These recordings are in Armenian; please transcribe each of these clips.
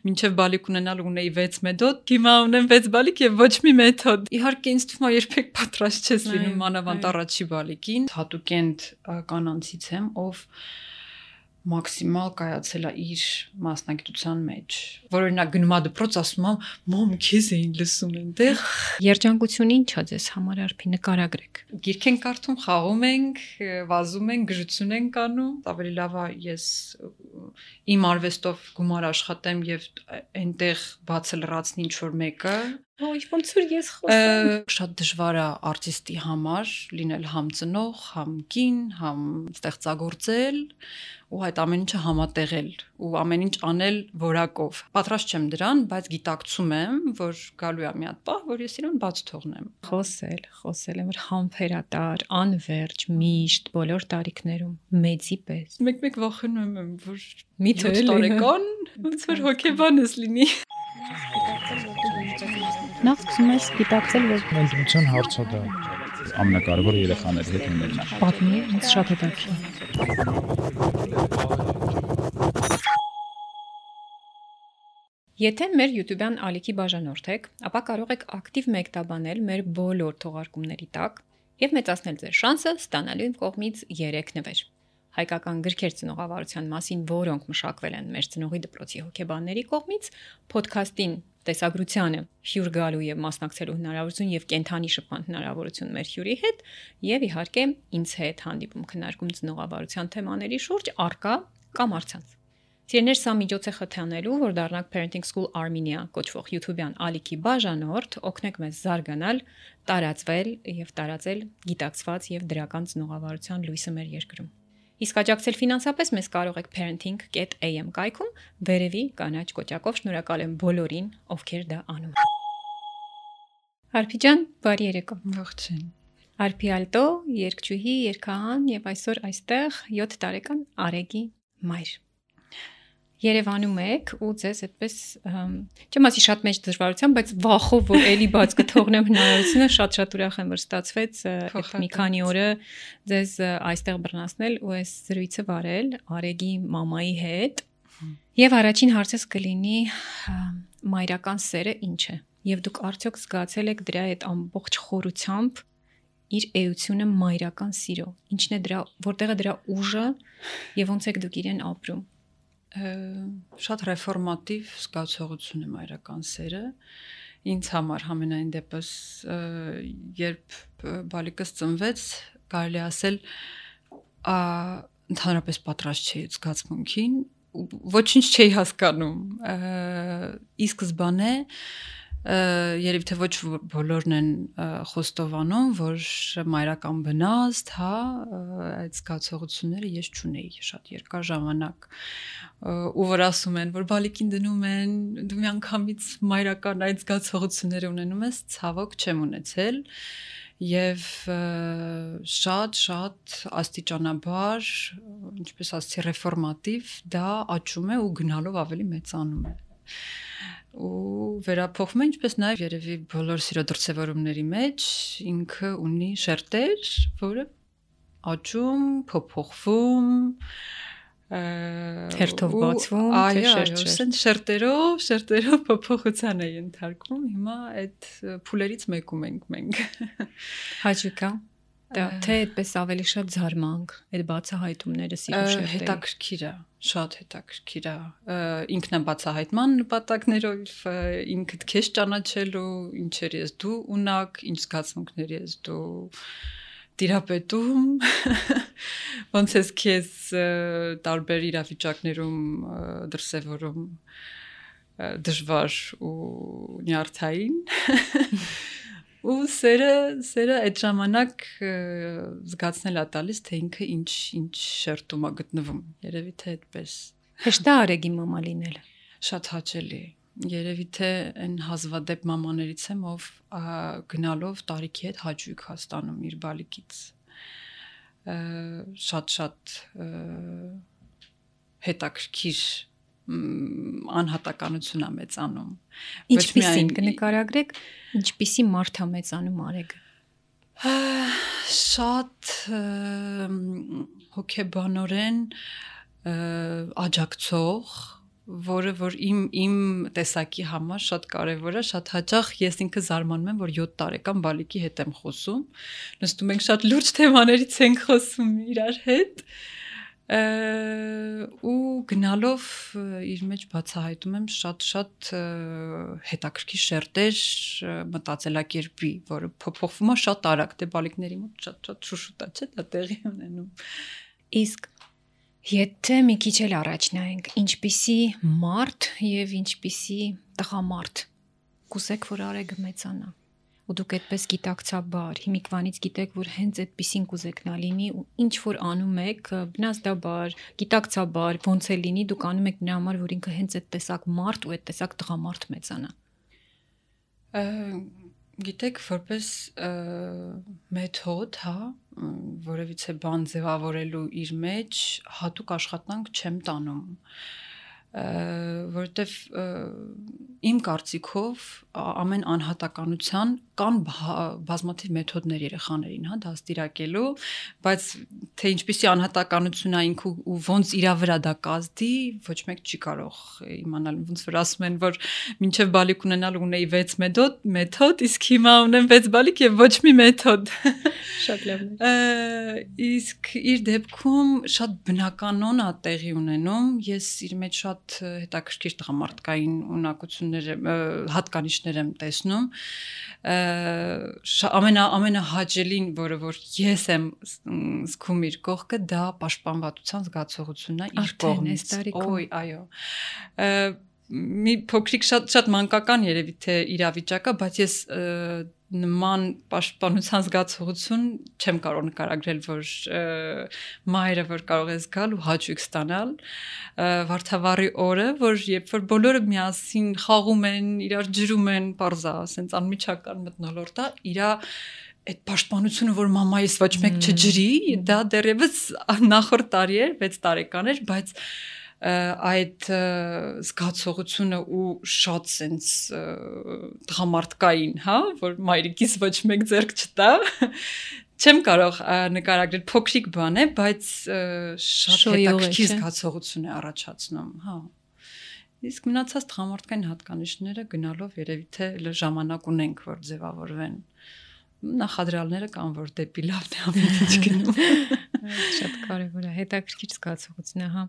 մինչև բալիկ ունենալ ունեի 6 մեթոդ, հիմա ունեմ 6 բալիկ եւ ոչ մի մեթոդ։ Իհարկե ինձ թվում է երբեք պատրաստ չես լինում մանավանդ առաջի բալիկին։ Հատուկենտ կանանցից եմ, ով մաքսիմալ կայացել է իր մասնագիտության մեջ, որ օրինակ գնում է դպրոց, ասում է մամ քեզ էին լսում այնտեղ։ Երջանկությունը ի՞նչ է ձեզ համար, Արփի, նկարագրեք։ Գիրք ենք կարդում, խաղում ենք, վազում ենք, գժություն ենք անում։ Ավելի լավ է ես իմ արվեստով գումար աշխատեմ եւ այնտեղ բացը լրացնի ինչ որ մեկը։ Ոնց որ ես խոսեմ։ Շատ դժվար է արտիստի համար լինել համ ծնող, համ կին, համ ստեղծագործել ու այդ ամեն ինչը համատեղել ու ամեն ինչ անել որակով։ Պատրաստ չեմ դրան, բայց գիտակցում եմ, որ գալու է մի հատ պահ, որ ես իրեն բաց թողնեմ։ Խոսել եմ, որ համբերատար, անվերջ, միշտ բոլոր տարիքներում, մեծի պես։ Մեկ վախենում եմ, որ միթե տարեկան ոնց որ հոգեբանս լինի։ Նախ սկսում ես գիտակցել, որ Ընտրության հարցը դա ամենակարևորը երեխաների հետ ունենալն է։ պատմի, ինձ շատ հետաքրքիր։ Եթե մեր YouTube-յան ալիքի բաժանորդ եք, ապա կարող եք ակտիվ մեկտաբանել մեր բոլոր թողարկումների տակ եւ մեծացնել ձեր շանսը ստանալու իմ կողմից 3 նվեր։ Հայկական գրքեր ծնողավարության մասին, որոնք մշակվել են մեր ծնողի դպրոցի հոգեբանների կողմից, ոդքասթին տեսագրությանը հյուր գալու եւ մասնակցելու հնարավորություն եւ կենթանի շփման հնարավորություն մեր հյուրի հետ եւ իհարկե ինձ հետ հանդիպում քննարկում ծնողավարության թեմաների շուրջ արկա կամ առցանց։ Սիրելիներ, սա միջոց է խթանելու, որ դառնանք Parenting School Armenia կոչվող YouTube-յան ալիքի բաժանորդ, օգնեք մեզ զարգանալ, տարածվել եւ տարածել գիտակցված եւ դրական ծնողավարության լույսը մեր երկրում։ Իսկ աջակցել ֆինանսապես մեզ կարող եք parenting.am կայքում վերևի կանաչ կոճակով շնորհակալ եմ բոլորին, ովքեր դա անում են։ Արփի ջան, բարի երեկո։ Ողջույն։ Արփի Ալտո, երգչուհի, երգահան եւ այսօր այստեղ 7 տարեկան Արեգի մայր։ Երևանում եք ու ձեզ այդպես չեմ ասի շատ մեծ դժվարությամբ, բայց վախով որ էլի բաց կթողնեմ հնարավորությունը, շատ ուրախ եմ որ ստացվեց այդ մի քանի օրը ձեզ այստեղ բռնացնել ու այս զրույցը վարել Արեգի մամայի հետ։ Եվ առաջին հարցս կլինի մայրական սերը ինչ է։ Եվ դուք արդյոք զգացել եք դրա այդ ամբողջ խորությամբ իր էությունը մայրական սիրո։ Ինչն է դրա, որտեղ է դրա ուժը եւ ոնց եք դուք իրեն ապրում։ Շատ ռեֆորմատիվ զգացողություն է մայրական սերը ինձ համար համենայն դեպս երբ բալիկս ծնվեց կարելի ասել ընդհանրապես պատրաստ չէի զգացմունքին ոչինչ չէի հասկանում ի սկզբանե երևի թե ոչ բոլորն են խոստովանում, որ մայրական բնազդ, հա, այդ զգացողությունները ես չունեի շատ երկար ժամանակ ու որ ասում են, որ բալիկին դնում են, դու միանգամից մայրական այդ զգացողությունները ունենում ես, ցավոք չեմ ունեցել եւ շատ աստիճանաբար, ինչպես ասեցի, ռեֆորմատիվ դա աճում է ու գնալով ավելի մեծանում է ու վերափոխվում է ինչպես նաև երևի բոլոր սիրո դրսևորումների մեջ ինքը ունի շերտեր, որը աճում, փոփոխվում, հերթով բացվում, թե շերտերով փոփոխության է ընթարկվում։ Հիմա այդ փուլերից մեկում ենք մենք։ Հաճիկա Դա թե այդպես ավելի շատ զարմանք, այդ բացահայտումները սիրո շերտերը։ Հետաքրքիր է, շատ հետաքրքիր է։ Ինքնաբացահայտման նպատակներով ինքդ քեզ ճանաչելու, ինչեր ես դու ունակ, ինչ զգացմունքներ ես դու տիրապետում, ոնց ես քեզ տարբեր իրավիճակներում դրսևորում դժվար ու նյարդային ու սերը այդ ժամանակ զգացնել է տալիս, թե ինքը ինչ շերտում է գտնվում, երևի թե այդպես։ Հեշտ է Արեգի մամա լինելը։ Շատ հաճելի։ Երևի թե այն հազվադեպ մամաներից եմ, ով գնալով տարիքի հետ հաճույք է ստանում իր բալիկից։ Շատ հետաքրքիր անհատականություն է մեծանում։ Ինչպիսին կնկարագրեք, ինչպիսի մարդ է մեծանում Արեգը։ Շատ հոգեբանորեն աջակցող, որը որ իմ տեսակի համար շատ կարևոր է, շատ հաճախ ես ինքը զարմանում եմ, որ 7 տարեկան բալիկի հետ եմ խոսում, նստում ենք շատ լուրջ թեմաներից ենք խոսում իրար հետ, ու գնալով իր մեջ բացահայտում եմ շատ հետաքրքիր շերտեր մտածելակերպի, որը փոփոխվում է շատ արագ, դե բալիկների մոտ շատ շուշուտ է, չէ՞, դա տեղի ունենում։ Իսկ եթե մի քիչ էլ առաջ նայենք, ինչպիսի մարդ եւ ինչպիսի տղամարդ կուզեք, որ Արեգը մեծանա։ Ու դուք այդպես գիտակցաբար, հիմիկվանից գիտեք, որ հենց այդպեսին կուզեք նա լինի ու ինչ որ անում եք, բնազդաբար, գիտակցաբար, ոնց է լինի, դուք անում եք նրա համար, որ ինքը հենց այդ տեսակ մարդ ու այդ տեսակ տղամարդ մեծանա։ Գիտեք, որպես մեթոդ, հա, որևիցե բան ձևավորելու իր մեջ հատուկ աշխատանք չեմ տանում, որովհետև իմ կարծիքով ամեն անհատականության կան բազմաթիվ մեթոդներ երեխաներին, հա, դաստիարակելու, բայց թե ինչպիսի անհատականություն է ինքը ու ոնց իրա վրա դա կազդի, ոչ մեկ չի կարող իմանալ, ոնց որ ասում են, որ մինչև բալիկ ունենալ ունեի 6 մեթոդ, իսկ հիմա ունեմ 6 բալիկ եւ ոչ մի մեթոդ։ Շատ լավն է։ Իսկ իր դեպքում շատ բնականon է տեղի ունենում, ես իր մեջ շատ հետաքրքիր տղամարդկային ունակություններ, հատկանիշներ եմ տեսնում, ամենահաճելին, որը որ ես եմ զգում իր կողքը, դա պաշտպանվածության զգացողությունն է իր կողմից։ Ոյ, այո։ Մի փոքրիկ շատ մանկական երևի թե իրավիճակա, բայց ես նման պաշտպանության զգացողություն չեմ կարող նկարագրել, որ մայրը որ կարող է զգալ ու հաճույք ստանալ, Վարդավառի օրը, որ երբ որ բոլորը միասին խաղում են, իրար ջրում են, պարզա, ասենց անմիջական մթնոլորտ է, իրա այդ պաշտպանությունը, որ մամայիս ոչ մեկ չջրի, դա դեռևս նախորդ տարի էր, 6 տարեկան էր, բայց այդ զգացողությունը ու շատ սենց տղամարդկային, հա, որ մայրիկիս ոչ մեկ ձեռք չտա, չեմ կարող նկարագրել, փոքրիկ բան է, բայց շատ հետաքրքիր զգացողություն է առաջացնում, հա։ Իսկ մնացած տղամարդկային հատկանիշները գնալով երևի թե ժամանակ ունենք, որ ձևավորվեն։ Նախադրյալները կան, որ դեպի լավն է ամեն ինչ գնում։ Շատ կարևոր է, հետաքրքիր զգացողություն է, հա։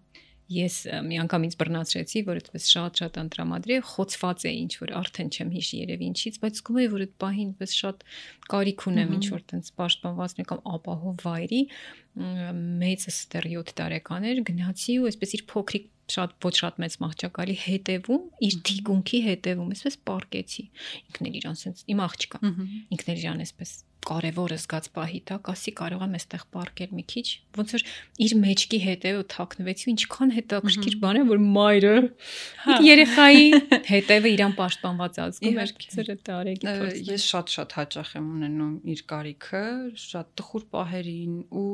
Ես մի անգամ ինձ բռնացրեցի, որ այդպես շատ անտրամադրի, խոցված է ինչ որ արդեն չեմ հիշի երևի ինչից, բայց զգում եմ, որ այդ պահին այդպես շատ կարիք ունեմ ինչ որ տենց պաշտպանված կամ ապահով վայրի, մեծս դեռ 7 տարեկան էր, գնացի ու այսպես իր փոքրիկ ոչ շատ մեծ մահճակալի հետևում, իր թիկունքի հետևում, այսպես պարկեցի։ Ինքն էլ իրան sense իմ աղջիկա։ Ինքն էլ իրան այսպես կարևորը զգաց պահի տակ, ասի կարող եմ այստեղ պարկել մի քիչ, ոնց որ իր մեջքի հետևը թաքնվեցի ու ինչքան հետաքրքիր բան է, որ մայրը իր երեխայի հետևը իրան պաշտպանված ազգում էր, ծրը տարեկի փորձ։ Ես շատ հաճախ եմ ունենում իր կարիքը, շատ տխուր պահերին ու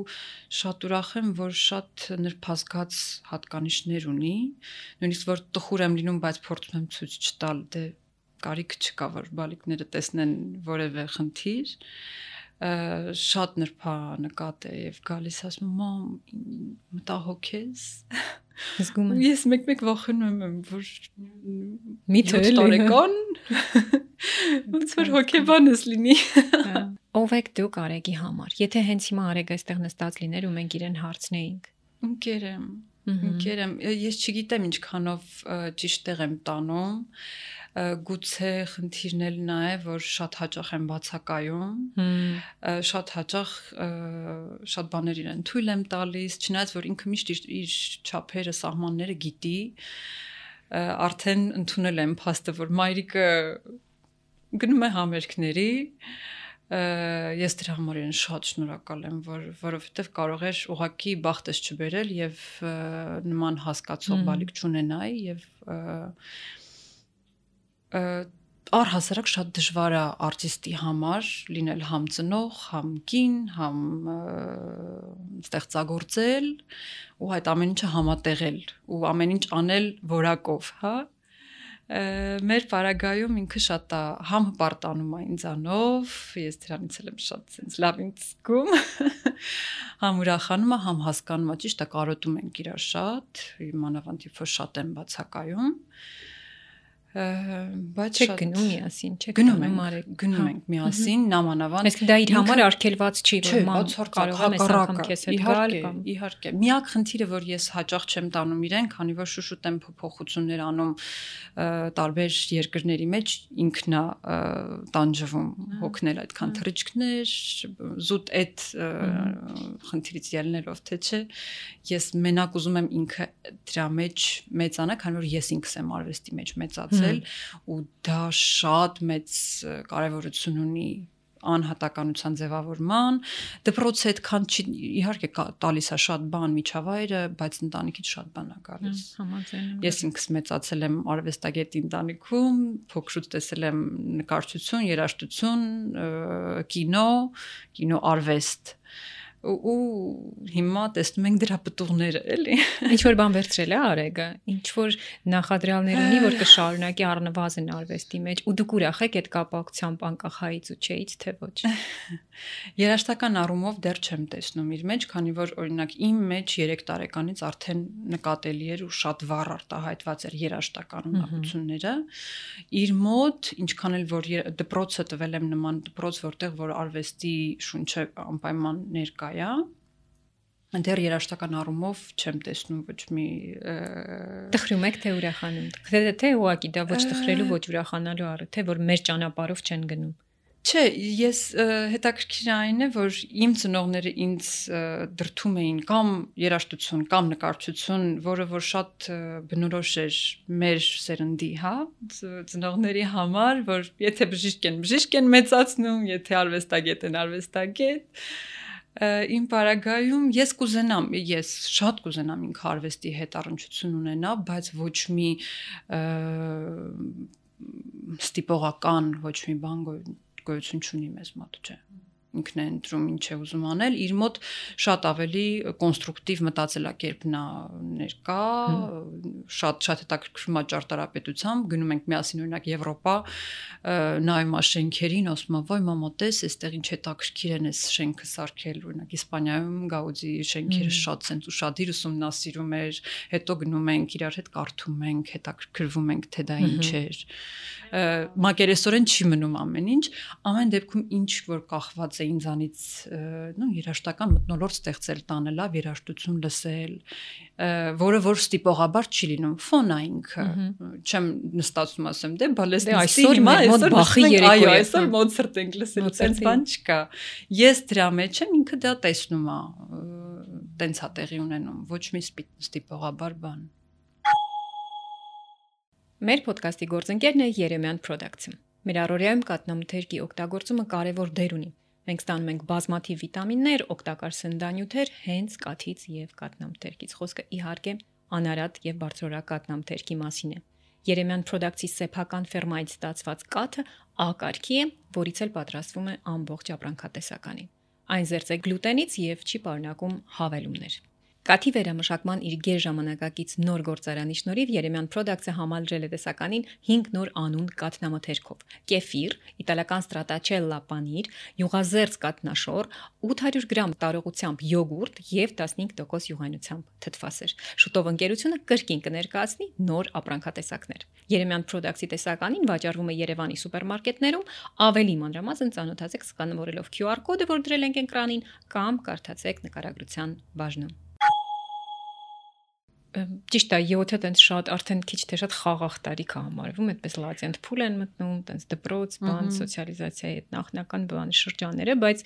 շատ ուրախ եմ, որ շատ նրբազգաց հատկանիշներ ունի, նույնիսկ որ տխուր եմ լինում, բայց փորձում եմ ցույց չտալ, դե կարիք չկա, որ բալիկները տեսնեն որևէ խնդիր, շատ նրբանկատ է եւ գալիս ասում մամ մտահոգ ես, զգում եմ ես մեկ վախենում եմ, որ միթե տարեկան ոնց որ հոգեբանս լինի։ Ով եք դուք Արեգի համար, եթե հենց հիմա Արեգը այստեղ նստած լիներ ու մենք իրեն հարցնեինք։ Ընկեր եմ, ես չգիտեմ ինչքանով ճիշտ տեղ եմ տանում, գուցե խնդիրն էլ նա է, որ շատ հաճախ եմ բացակայում, շատ հաճախ շատ բաներ իրեն թույլ եմ տալիս, չնայած որ ինքը միշտ իր չափերը, սահմանները գիտի, արդեն ընդունել եմ փաստը, որ մայրիկը գնում է համերգների, ես դրա համար իրեն շատ շնորհակալ եմ, որովհետև կարող էր ուղղակի բախտս չբերել եւ նման հասկացող բալիկ չունենայի եւ առհասարակ շատ դժվար է արտիստի համար լինել համ ծնող, համ կին, համ ստեղծագործել ու այդ ամեն ինչը համատեղել ու ամեն ինչ անել որակով, հա։ Մեր պարագայում ինքը շատ է համ հպարտանում է ինձանով, ես դրանից եմ շատ sense լավ ինձ զգում, համ ուրախանում է, համ հասկանում է, ճիշտ է, կարոտում ենք իրար շատ, մանավանդ երբ որ շատ եմ բացակայում, բայց Չեք գնում միասին, չեք գնում ենք միասին, նամանավանդ։ Իսկ դա իր համար արգելված չի, որ ման կարող եմ այս անգամ քեզ հետ գալ կամ իհարկե։ Միակ խնդիրը, որ ես հաճախ չեմ տանում իրեն, քանի որ շուշուտ եմ փոփոխություններ անում տարբեր երկրների մեջ, ինքն է տանջվում հոգնել այդքան թռիչքներ, զուտ այդ խնդիրից ելնելով թե չէ, ես մենակ ուզում եմ ինքը դրա մեջ մեծանա, քանի որ ես ինքս եմ արվեստի մեջ մեծացել ու դա շատ մեծ կարևորություն ունի անհատականության ձևավորման, դպրոցը այդքան չի, իհարկե տալիս է շատ բան միջավայրը, բայց ընտանիքից շատ բան է գալիս։ Ես ինքս մեծացել եմ արվեստագետ ընտանիքում, փոքրուց տեսել եմ նկարչություն, երաժշտություն, կինո արվեստ ու հիմա տեսնում ենք դրա պտուղները, էլի։ Ինչ որ բան վերցրել է Արեգը, ինչ որ նախադրյալներ ունի, որ կշարունակի առնվազն արվեստի մեջ, ու դուք ուրախ եք այդ կապակցությամբ անկախ հայից ու չէից, թե ոչ։ Երաժշտական առումով դեռ չեմ տեսնում իր մեջ, քանի որ օրինակ իմ մեջ 3 տարեկանից արդեն նկատելի էր ու շատ վառ արտահայտված էր երաժշտական ունակությունները։ Իր մոտ, ինչքան էլ որ դպրոցը տվել եմ նման դպրոց, որտեղ որ արվեստի շունչը անպայման ներկա է, դեռ երաժշտական առումով չեմ տեսնում ոչ մի տխրում եք թե ուրախանում։ Թե ուղղակի դա ոչ տխրելու, ոչ ուրախանալու առ, թե որ մեր ճանապարհով չեն գնում։ Չէ, ես հետաքրքիր այն է, որ իմ ծնողները ինձ դրթում էին կամ երաժշտություն, կամ նկարչություն, որը որ շատ բնորոշ էր մեր սերնդի, հա, ծնողների համար, որ եթե բժիշկ են մեծացնում, եթե արվեստագետ են արվեստագետ, իմ պարագայում ես շատ կուզենամ ինքը արվեստի հետ առնչություն ունենա, բայց ոչ մի ստիպողական, ոչ մի բան գոյություն չունի մեզ մոտ, չէ։ Ինքն է ընտրում ինչ է ուզում անել, իր մոտ շատ ավելի կոնստրուկտիվ մտածելակերպն է ներկա, շատ հետաքրքրում է ճարտարապետությամբ, գնում ենք միասին օրինակ Եվրոպա, նայում ա շենքերին, ասում ա, վայ մամա, տես, այստեղ ինչ հետաքրքիր են այս շենքը սարքել, օրինակ Իսպանիայում Գաուդի շենքերը շատ sense ուշադիր ուսումնասիրում էր, հետո գնում ենք իրար հետ կարդում ենք, հետաքրքրվում ենք, թե դա ինչ էր։ Մակերեսորեն չի մնում ամեն ինչ, ամեն դեպքում ինչ որ կախված է ինձանից, երաժշտական մթնոլորտ ստեղծել, տանել, երաժշտություն լսել, որը որ ստիպողաբար չի լինում, ֆոն է ինքը, չեմ նստածում ասեմ, դե բալեստի հիմա այսօր Մոցարտ ենք լսել, այդպես բան չկա։ Ես դրա մեջ եմ, ինքը դա տեսնում է, տենց է տեղի ունենում, ոչ մի ստիպողաբար բան։ Մեր ոդկասթի գործընկերն է Երեմյան Production։ Մեր առօրյայում կաթնամթերքի օգտագործումը կարևոր դեր ունի։ Մենք ստանում ենք բազմաթիվ վիտամիններ, օգտակար սննդանյութեր հենց կաթից եւ կաթնամթերքից։ Խոսքը իհարկե անարատ եւ բարձրորակ կաթնամթերքի մասին է։ Երեմյան Production-ի սեփական ֆերմայից ստացված կաթը A կարգի է, որից էլ պատրաստվում է ամբողջ ապրանքատեսականի։ Այն զերծ է գլուտենից եւ չի պարունակում հավելումներ։ Կաթի վերամշակման իր գերժամանակակից նոր գործարանի շնորհիվ Երեմյան Production-ը համալրել է տեսականին 5 նոր անուն կաթնամթերքով՝ կեֆիր, իտալական ստրատաչելլա պանիր, յուղազերծ կաթնաշոր, 800 գրամ տարողությամբ յոգուրտ եւ 15% յուղայնությամբ թթվասեր։ Շուտով ընկերությունը կրկին կներկայացնի նոր ապրանքատեսակներ։ Երեմյան Production-ի տեսականին վաճառվում է Երևանի սուպերմարկետներում, ավելի մանրամասն ծանոթացեք սկանավորելով QR կոդը, որ դրել ենք էկրանին, կամ կարդացեք նկարագրության բաժնում։ Ճիշտ է, 7-ը տենց շատ արդեն քիչ թե շատ խաղաղ տարիք է համարվում, այդպես լացենտ փուլ են մտնում, տենց դպրոց, բան, սոցիալիզացիայի հետ նախնական բանի շրջանները, բայց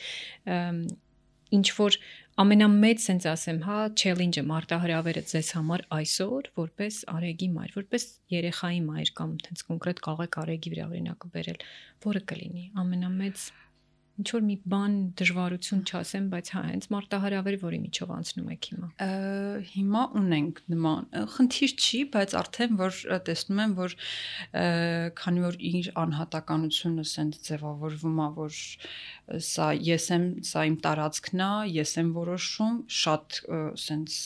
ինչ որ ամենամեծ sense ասեմ, հա, challenge-ը մարտահրավերը ձեզ համար այսօր, որպես Արեգի մայր, որպես երեխայի մայր կամ տենց կոնկրետ կաղեք Արեգի վրա օրինակը բերել, որը կլինի ամենամեծ ինչ որ մի բան դժվարություն չասեմ, բայց հա, հենց մարտահրավերը, որի միջով անցնում եք հիմա։ Հիմա ունենք նման խնդիր չի, բայց արդեն որ տեսնում եմ, որ քանի որ իր անհատականությունը սենց ձևավորվում է, որ սա ես եմ, սա իմ տարածքն է, ես եմ որոշում, շատ սենց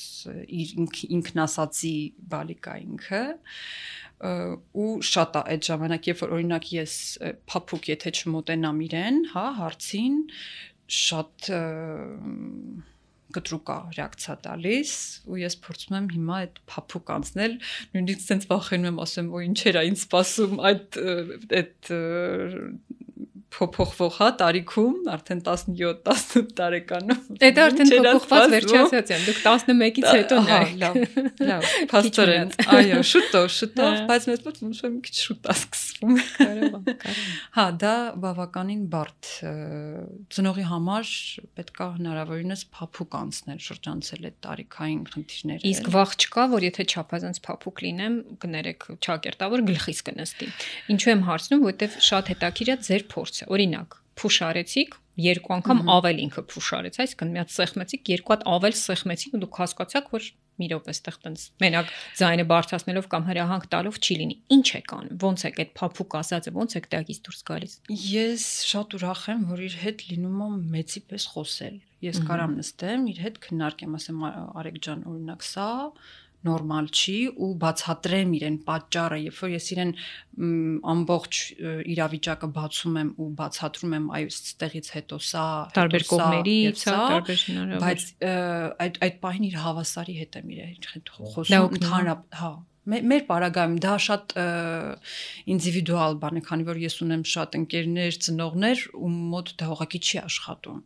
ինքնասածի բալիկ է ինքը, ու շատ է այդ ժամանակ, երբ որ օրինակ ես փափուկ եթե չմոտենամ իրեն, հա, հարցին շատ կտրուկ է ռեակցիա տալիս ու ես փորձում եմ հիմա այդ փափուկ անցնել, նույնիսկ sense վախենում եմ, ասեմ, օ ինչ էր այն սպասում այդ փոփոխվող հա տարիքում, արդեն 17-18 տարեկանում։ Դա արդեն փոփոխված վերջի ասացիան, դուք 11-ից հետո լավ, փաստորեն, այո, շուտով, բայց մեծ մոտ ոնց մի քիչ շուտ է սկսվում։ Կարող։ Հա, դա բավականին բարդ ծնողի համար պետք է հնարավորինս փափուկ անցնել, շրջանցել այդ տարիքային խնդիրները։ Իսկ վախ չկա, որ եթե չափազանց փափուկ լինեմ, կներեք ճակերտավոր գլխիս կնստի։ Ինչու եմ հարցնում, որովհետև շատ հետաքրքիր է ձեր փորձը։ Օրինակ, փուշ արեցիք, երկու անգամ ավել ինքը փուշ արեց, այսինքն մի հատ սեղմեցիք, երկու հատ ավել սեղմեցիք ու դուք հասկացաք, որ մի րոպե այստեղ տենց մենակ ձայնը բարձրացնելով կամ հրահանգ տալով չի լինի։ Ինչ եք անում։ Ոնց եք այդ փափուկ ասածը, ոնց եք դակից դուրս գալիս։ Ես շատ ուրախ եմ, որ իր հետ լինում եմ մեծի պես խոսել։ Ես կարամ նստեմ, իր հետ քննարկեմ, ասեմ, Արեգ ջան, օրինակ սա նորմալ չի ու բացատրեմ իրեն պատճառը, երբ որ ես իրեն ամբողջ իրավիճակը բացում եմ ու բացատրում եմ այստեղից հետո սա տարբեր կողմերից, տարբեր հնարավոր, բայց այդ պահին իր հավասարի հետ եմ իր հետ խոսում ընդհանրապես, հա Մեր պարագայում դա շատ ինդիվիդուալ բան է, քանի որ ես ունեմ շատ ընկերներ, ծնողներ, ում մոտ դա ուղղակի չի աշխատում։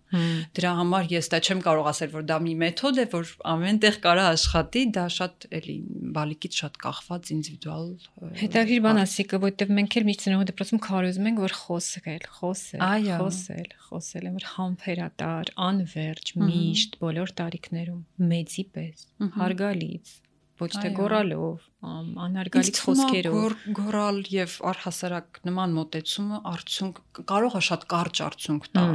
Դրա համար ես դա չեմ կարող ասել, որ դա մի մեթոդ է, որ ամենտեղ կարա աշխատի, դա շատ էլի բալիկից շատ կախված ինդիվիդուալ։ Հետաքրքիր բան ասիկը, որովհետև մենք էլ միշտ ծնողի դպրոցում քարոզում ենք, որ խոսել, որ համբերատար, անվերջ, միշտ բոլոր տարիքներում, մեծի պես, հարգալից ոչ թե գորալով, անհարգալից խոսքերով, գորալ եւ առհասարակ նման մոտեցումը արդյունք կարող է շատ կարճ արդյունք տա։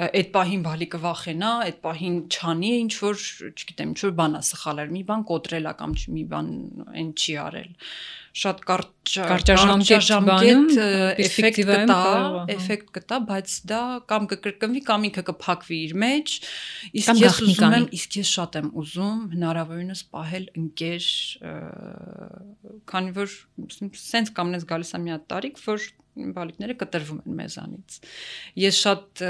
Այդ պահին բալիկը վախենա, այդ պահին չանի ինչ որ, չգիտեմ, ինչ որ բան է սխալել, մի բան կոտրել է կամ մի բան այն չի արել։ Շատ կարճաժամկետ էֆեկտ կտա, բայց դա կամ կկրկնվի, կամ ինքը կփակվի իր մեջ, իսկ ես շատ եմ ուզում հնարավորինս պահել ընկեր, քանի որ սենց կամնես գալիս է մի հատ տարիք, որ բալիկները կտրվում են մեզանից։ Ես շատ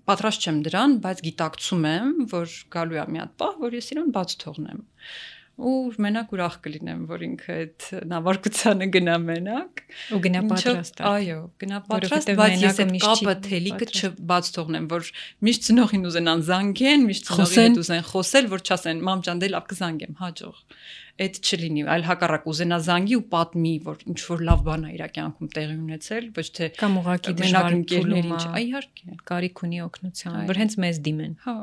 պատրաստ չեմ դրան, բայց գիտակցում եմ, որ գալու է մի հատ պահ, որ ես իրեն բաց թողնեմ։ Ու մենակ ուրախ կլինեմ, որ ինքը այդ նավարկությանը գնա մենակ ու գնա պատրաստ։ Այո, գնա պատրաստ, բայց ես այդ կապը թելիկը չբաց թողնեմ, որ միշտ ծնողին ուզենան զանգեն, միշտ ծնողի հետ ուզեն խոսել, որ չասեն մամ ջան դե լավ կզանգեմ, հաջող։ Այդ չլինի, այլ հակառակ ուզենա զանգի ու պատմի, որ ինչ որ լավ բան է իր կյանքում տեղի ունեցել, ոչ թե կամ ուղղակի դժվար ընկերներին, իհարկե, կարիք ունի օգնության, որ հենց մեզ դիմեն։ Հա։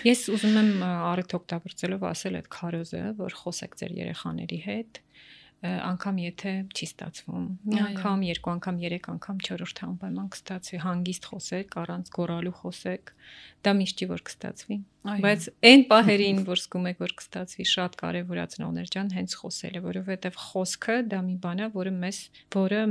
Ես ուզում եմ առիթ օգտագործելով ասել այդ քարոզը, որ խոսեք ձեր երեխաների հետ, անգամ եթե չի ստացվում, մի անգամ, երկու անգամ, երեք անգամ, չորրորդ անպայման կստացվի, հանգիստ խոսեք, առանց գոռալու խոսեք, դա միշտ չի որ կստացվի, բայց այն պահերին, որ զգում եք, որ կստացվի, շատ կարևոր է ծնողներ ջան, հենց խոսելը, որովհետև խոսքը դա մի բան է, որը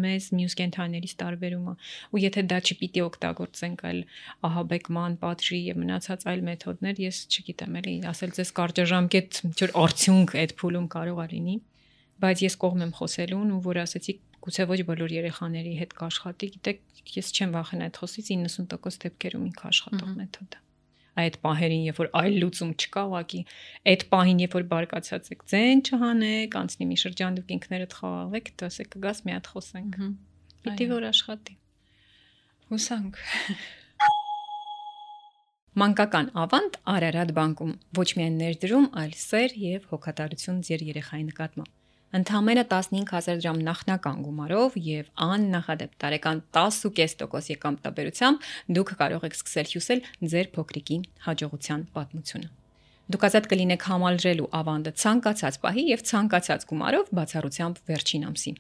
մեզ մյուս կենդանիներից տարբերում է, ու եթե դա չպիտի օգտագործենք այլ ահաբեկման, պատժի եւ մնացած այլ մեթոդներ, ես չգիտեմ էլի, ասել ձեզ կարճաժամկետ ինչ-որ արդյունք այդ փուլում կարող է լինի, բայց ես կողմ եմ խոսելուն ու որ ասեցի գուցե ոչ բոլոր երեխաների հետ կաշխատի, գիտեք, ես չեմ վախենա այդ խոսից 90% դեպքերում ինքը աշխատող մեթոդ է։ Այդ պահերին, երբ որ այլ լուծում չկա, ուղղակի այդ պահին, երբ որ բարկացած եք, ձեն չհանեք, անցնի մի շրջան դուք ինքներդ խաղաղեք, դասեք կգաս մի հատ խոսենք։ Պիտի որ աշխատի։ Հուսանք։ Մանկական ավանդ Արարատ բանկում ոչ միայն ներդրում, այլ սեր եւ հոգատարություն ձեր երեխայի նկատմամբ։ Ընդամենը 15000 դրամ նախնական գումարով եւ աննախադեպ տարեկան 10.5% եկամտաբերությամբ դուք կարող եք սկսել հյուսել ձեր փոքրիկի հաջողության պատմությունը։ Դուք ազատ կլինեք համալրելու ավանդը ցանկացած պահի եւ ցանկացած գումարով բացառությամբ վերջին ամսին։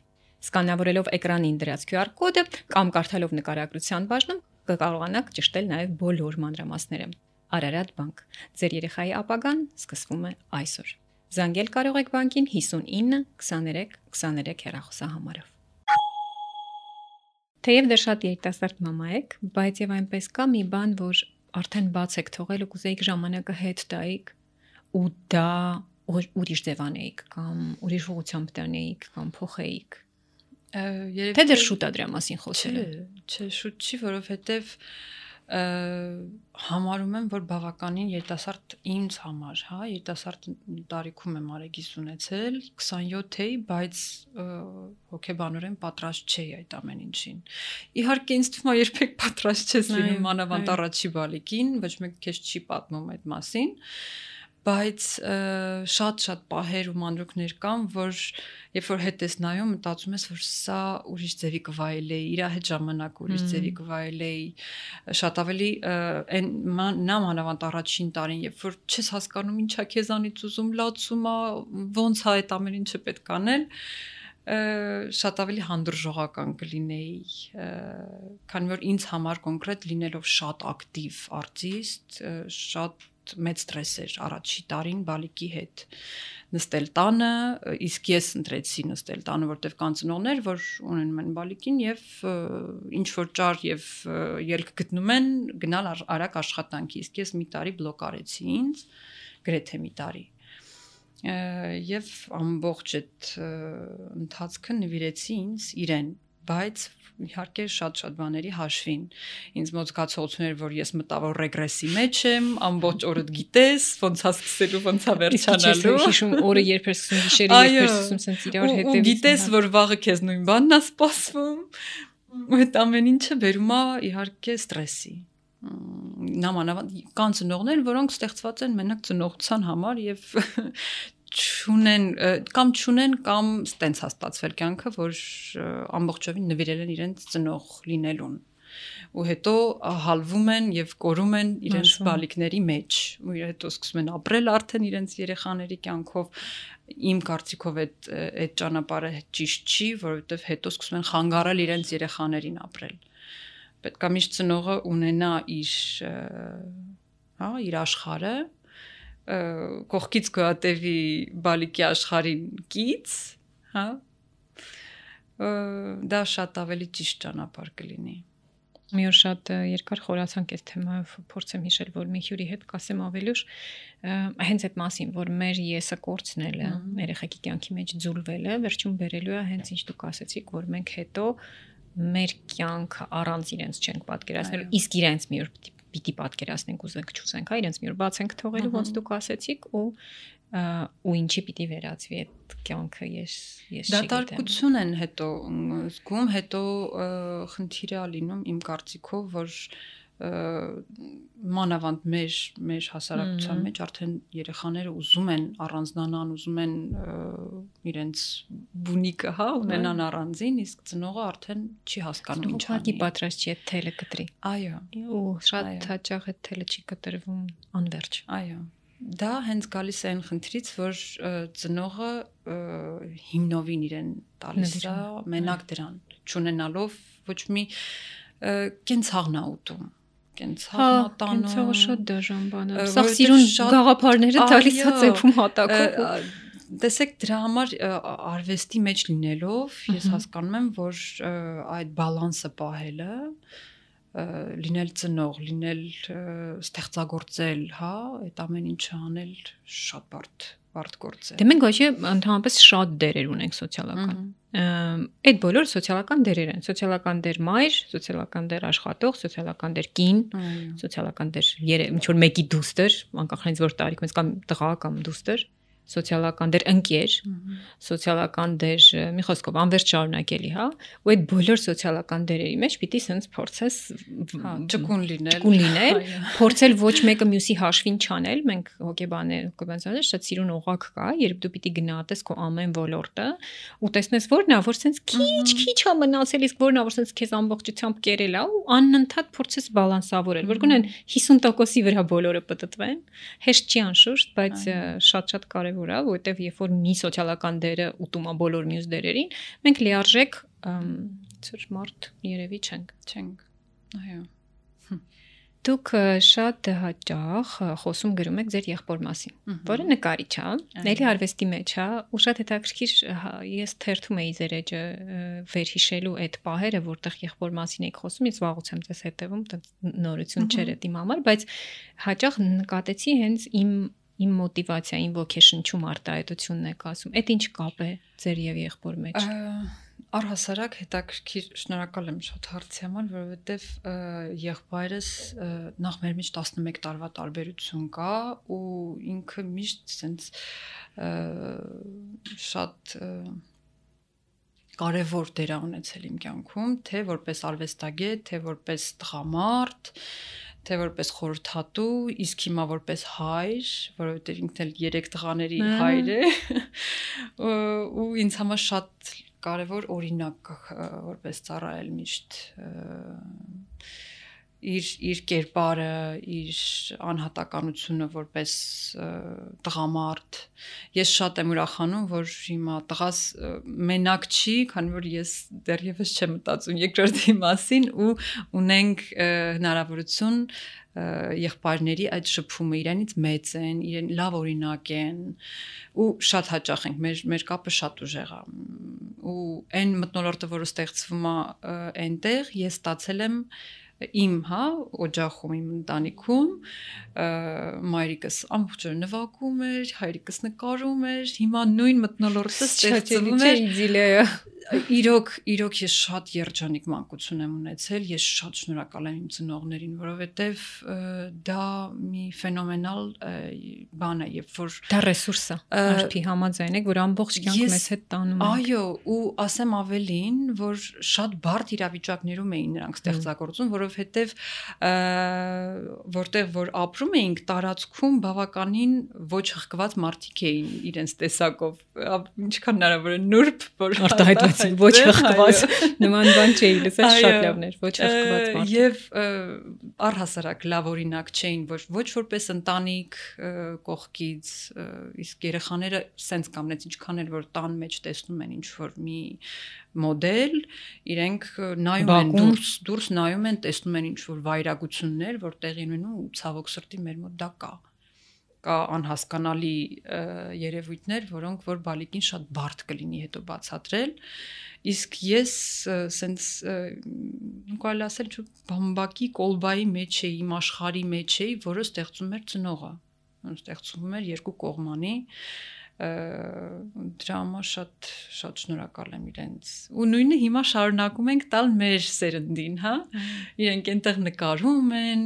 Սկանավորելով էկրանին դրած QR կոդը կամ կարդալով նկարագրության բաժնում կկարողանաք ճշտել նաեւ բոլոր մանրամասները։ Արարատ բանկ։ Ձեր երեխայի ապագան սկսվում է այսօր։ Զանգել կարող եք բանկին 59 23 23 հեռախոսահամարով։ Թեև դեռ շատ երիտասարդ մամա եք, բայց եւ այնպես կա մի բան, որ արդեն բաց եք թողել ու կուզեիք ժամանակը հետ տայիք ու դա ուրիշ ձևանեիք կամ ուրիշ ուղղությամբ տանեիք կամ փոխեիք։ Երևի Թե դեռ շուտ է դրա մասին խոսելը։ Չէ, շուտ չի, որովհետև համարում եմ, որ բավականին երիտասարդ ինձ համար, հա, երիտասարդ տարիքում եմ արեգիս ունեցել, 27 էի, բայց հոգեբանորեն պատրաստ չէի այդ ամեն ինչին։ Իհարկե ինձ թվում է երբեք պատրաստ չես լինում մանավանդ առաջի բալիկին, ոչ մեկ քեզ չի պատմում այդ մասին, բայց շատ պահեր ու մանրուքներ կան, որ երբ որ հետ ես նայում, մտածում ես, որ սա ուրիշ ձևի կվայելեի, իր հետ ժամանակ ուրիշ ձևի կվայելեի, շատ ավելի նա մանավանդ առաջին տարին, երբ որ չես հասկանում ինչա քեզանից ուզում, լացում է, ոնց է այդ ամեն ինչը պետք անել, շատ ավելի հանդուրժողական կլինեի, քանի որ ինձ համար կոնկրետ լինելով շատ ակտիվ արտիստ, շատ մեծ ստրես էր առաջի տարին բալիկի հետ նստել տանը, իսկ ես ընտրեցի նստել տանը, որտեղ կան ծնողներ, որ ունենում են բալիկին եւ ինչ որ ճար եւ ելք գտնում են գնալ արագ աշխատանքի, իսկ ես մի տարի բլոկ արեցի ինձ, գրեթե մի տարի։ Եվ ամբողջ այդ ընթացքը նվիրեցի ինձ իրեն, բայց իհարկե շատ բաների հաշվին։ Ինձ մոտ զգացողություն էր, որ ես մտավոր ռեգրեսի մեջ եմ, ամբողջ օրդ գիտես, ոնց է սկսելու, ոնց է վերջանալու։ Հիշում օրը երբ էր սկսում, գիշերը երբ էր սկսում, սենց իրար հետևից։ Ու գիտես, որ վաղը քեզ նույն բանն է սպասվում։ Ու այդ ամեն ինչը բերում է իհարկե ստրեսի։ Նամանավանդ կան ծնողներ, որոնք ստեղծված են մենակ ծնողության համար եւ չունեն կամ ստենց հաստատվել կյանքը, որ ամբողջովին նվիրել են իրենց ծնող լինելուն ու հետո հալվում են եւ կորում են իրենց բալիկների մեջ ու հետո սկսում են ապրել արդեն իրենց երեխաների կյանքով իմ կարծիքով այդ ճանապարհը ճիշտ չի, որովհետեւ հետո սկսում են խանգարել իրենց երեխաներին ապրել։ Պետք է միշտ ծնողը ունենա իր աշխարհը, կողքից գոյատևի բալիկի աշխարհին կից, հա, դա շատ ավելի ճիշտ ճանապարհ կլինի։ Մի օր շատ երկար խորացանք այս թեմայով, փորձեմ հիշել, որ մի հյուրի հետ կասեմ ավելի ուշ, հենց այդ մասին, որ մեր եսը կորցնելը, երեխեքի կյանքի մեջ ձուլվելը, վերջում բերելու է հենց ինչ դուք ասացիք, որ մենք հետո մեր կյանքը առանց իրենց չենք պատկերացնելու, իսկ իրենց մի օր պիտի պատկերացնենք ուզենք չուզենք, հա, իրենց մի օր բաց ենք թողելու, ոնց դուք ասեցիք, ու ինչի պիտի վերածվի այդ կյանքը, ես չգիտեմ։ Դատարկություն են հետո զգում, հետո խնդիրը լինում իմ կարծիքով, որ մանավանդ մեր հասարակության մեջ արդեն երեխաները ուզում են առանձնանան, ուզում են իրենց բունիկը, հա, ունենան առանձին, իսկ ծնողը արդեն չի հասկանում ինչ անի։ Պատրաստ չի այդ թելը կտրի։ Այո։ Ու շատ հաճախ այդ թելը չի կտրվում անվերջ։ Այո։ Դա հենց գալիս է այն խնդրից, որ ծնողը հիմնովին իրեն տալիս է մենակ դրան, չունենալով ոչ մի կենցաղն է ուտում, կենցաղն է տանում։ Կենցաղը շատ դաժան բան է։ Սա սիրուն գաղափարները տալիս է ծեփում հատակով։ Տեսեք, դրա համար արվեստի մեջ լինելով ես հասկանում եմ, որ այդ բալանսը պահելը լինել ծնող, լինել ստեղծագործել, հա, այդ ամեն ինչը անել շատ բարդ գործ է։ Դե մենք ոչ ընդհանրապես շատ դերեր ունենք սոցիալական։ Այդ բոլորը սոցիալական դերեր են, սոցիալական դեր մայր, սոցիալական դեր աշխատող, սոցիալական դեր կին, սոցիալական դեր ինչ որ մեկի դուստր, անկախ նրանից որ տարիքից կամ տղա կամ դուստր, սոցիալական դեր ընկեր, սոցիալական դեր մի խոսքով անվերջ շարունակելի, հա, ու այդ բոլոր սոցիալական դերերի մեջ պիտի sense փորձես ճկուն լինել, փորձել ոչ մեկը մյուսի հաշվին չանել, մենք հոգեբաններ շատ սիրուն օղակ կա, երբ դու պիտի գնահատես քո ամեն ոլորտը ու տեսնես որն է, որ sense քիչ է մնացել, իսկ որն է, որ sense քեզ ամբողջությամբ կերել է ու անընդհատ փորձես բալանսավորել, որ գոնե 50%-ի վրա բոլորը պատտվեն, հեշտ չի անշուշտ, բայց շատ կարևոր է, որովհետև երբ որ մի սոցիալական դերը ուտում է բոլոր մյուս դերերին, մենք լիարժեք ծր մարդ երևի չենք։ Այո։ Դուք շատ հաճախ խոսում գրում եք ձեր եղբոր մասին, որը նկարիչ է, էլի արվեստի մեջ է, ու շատ հետաքրքիր ես թերթում էի ձեր էջը վերհիշելու այդ պահերը, որտեղ եղբոր մասին եք խոսում, ես վաղուց եմ ձեզ հետևում, նորություն չէր այդ իմ համար, բայց հաճախ նկատեցի հենց իմ իմ մոտիվացիային ոգեշնչում արտահայտությունն եք ասում։ Այդ ինչ կապ է ձեր եւ եղբոր մեջ։ Առհասարակ հետաքրքիր, շնորհակալ եմ շատ հարցի համար, որովհետև եղբայրս նախ մեր մեջ 11 տարվա տարբերություն կա ու ինքը միշտ sense շատ կարևոր դեր ա ունեցել իմ կյանքում, թե որպես արվեստագետ, թե որպես տղամարդ, թե որպես խորհրդատու, իսկ հիմա որպես հայր, որովհետև ինքն էլ 3 տղաների հայր է, ու ինձ համար շատ կարևոր օրինակ որպես ծառայել միշտ իր կերպարը, իր անհատականությունը որպես տղամարդ։ Ես շատ եմ ուրախանում, որ հիմա տղաս մենակ չի, քանի որ ես դեռևս չեմ մտածում երկրորդի մասին ու ունենք հնարավորություն եղբայրների այդ շփումը իրենից մեծ են, իրեն լավ օրինակ են ու շատ հաճախ ենք, մեր կապը շատ ուժեղ է ու այն մթնոլորտը, որը ստեղծվում է այնտեղ, ես ստացել եմ իմ, օջախում, իմ ընտանիքում մայրիկս ամբողջ օրը նվագում էր, հայրիկս նկարում էր, հիմա նույն մթնոլորտը ստեղծվում է։ Իրոք ես շատ երջանիկ մանկություն եմ ունեցել, ես շատ շնորհակալ եմ իմ ծնողներին, որովհետև դա մի ֆենոմենալ բան է, երբ որ դա ռեսուրս է, արդի համաձայն եք, որ ամբողջ կյանք մեզ հետ տանում է։ Այո, ու ասեմ ավելին, որ շատ բարդ իրավիճակներում էին նրանք ստեղծագործում, որովհետև որտեղ որ ապրում էինք տարածքում բավականին ոչ հղկված մարդիկ էին իրենց տեսակով, ինչքան հնարավոր է նուրբ, որ ոչ հղկված նման բան չէի լսել, շատ լավն էր, ոչ հղկված մարդ։ Եվ առհասարակ լավ օրինակ չէին, ոչ որպես ընտանիք կողքից, իսկ երեխաները սենց կամնեց ինչքան էլ որ տան մեջ տեսնում են ինչ որ մի մոդել, իրենք նայում են դուրս նայում են, տեսնում են ինչ որ վայրագություններ, որ տեղի ունենում ու ցավոք սրտի մեր մոտ դա կա անհասկանալի երևույթներ, որոնք որ բալիկին շատ բարդ կլինի հետո բացատրել, իսկ ես սենց կարելի ասել բամբակի կոլբայի մեջ էի, իմ աշխարհի մեջ էի, որը ստեղծում էր ծնողը, ստեղծում էր երկու կողմանի, դրա համար շատ շնորհակալ եմ իրենց ու նույնը հիմա շարունակում ենք տալ մեր սերնդին, իրենք այնտեղ նկարում են,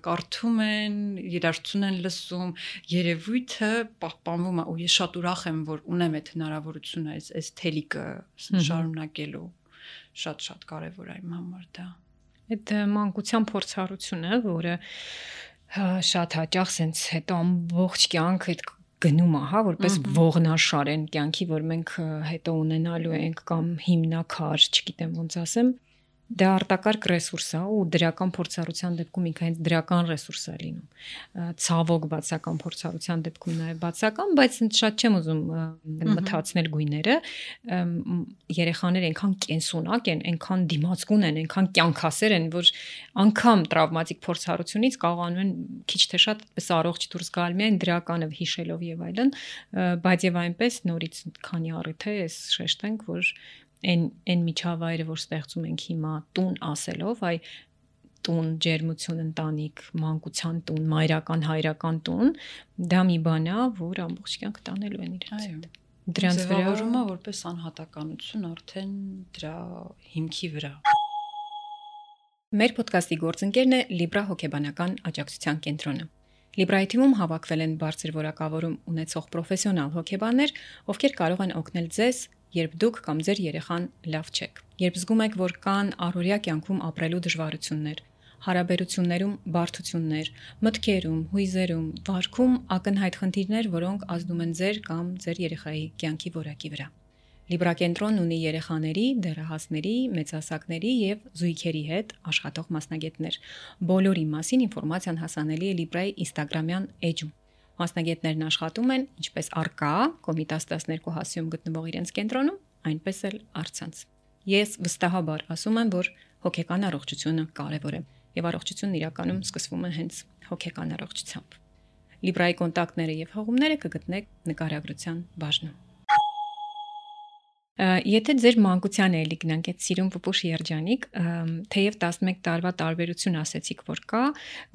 կարդում են, երաժշտություն են լսում, երևույթը պահպանվում է ու ես շատ ուրախ եմ, որ ունեմ այդ հնարավորությունը, այս թելիկը շարունակելու, շատ կարևոր է իմ համար դա։ Այդ մանկության փորձառությունը, որը շատ հաճախ sense հետո ամբողջ կյանք այդ գնում է, որպես ողնաշար են կյանքի, որ մենք հետո ունենալու ենք կամ հիմնակար, չգիտեմ ոնց ասեմ, դա արտակարգ ռեսուրս է ու դրական փորձառության դեպքում ինքը հենց դրական ռեսուրս է լինում։ Ցավոք բացական փորձառության դեպքում նաև բացական, բայց շատ չեմ ուզում մթացնել գույները։ Երեխաները այնքան կենսունակ են, այնքան դիմացկուն են, այնքան կյանքասեր են, որ անգամ տրավմատիկ փորձառությունից կարողանում են քիչ թե շատ այդպես առողջ դուրս գալ միայն դրականը հիշելով եւ այլն, բայց եւ այնպես նորից քանի առիթ է, ես շեշտենք, որ այն միջավայրը, որ ստեղծում ենք հիմա տուն ասելով, այ տուն, ջերմություն, ընտանիք, մանկության տուն, մայրական, հայրական տուն, դա մի բան է, որ ամբողջ կյանք տանելու են իրենց հետ։ Դրանց վերաբերումը որպես անհատականություն արդեն դրա հիմքի վրա։ Մեր ոդկասթի գործընկերն է Libra հոգեբանական աջակցության կենտրոնը։ Libra-ի թիմում հավաքվել են բարձր որակավորում ունեցող պրոֆեսիոնալ հոգեբաններ, ովքեր կարող են օգնել ձեզ, երբ դուք կամ ձեր երեխան լավ չեք, երբ զգում եք, որ կան առօրյա կյանքում ապրելու դժվարություններ, հարաբերություններում բարդություններ, մտքերում, հույզերում, վարքում ակնհայտ խնդիրներ, որոնք ազդում են ձեր կամ ձեր երեխայի կյանքի որակի վրա։ Libra կենտրոնն ունի երեխաների, դեռահասների, մեծահասակների եւ զույգերի հետ աշխատող մասնագետներ։ Բոլորի մասին ինֆորմացիան հասանելի է Libra-ի Instagram-յան էջում։ Մասնագետներն աշխատում են ինչպես առկա Կոմիտաս 12 հասիում գտնվող իրենց կենտրոնում, այնպես էլ առցանց։ Ես վստահաբար ասում եմ, որ հոգեկան առողջությունը կարևոր է եւ առողջությունն իրականում սկսվում է հենց հոգեկան առողջությամբ։ Libra-ի կոնտակտները եւ հղումները կգտնեք նկարագրության բաժնում։ Եթե ձեր մանկության էլի գնանք այդ սիրուն պուպուշ երջանիկ, թեև 11 տարվա տարբերություն ասեցիք, որ կա,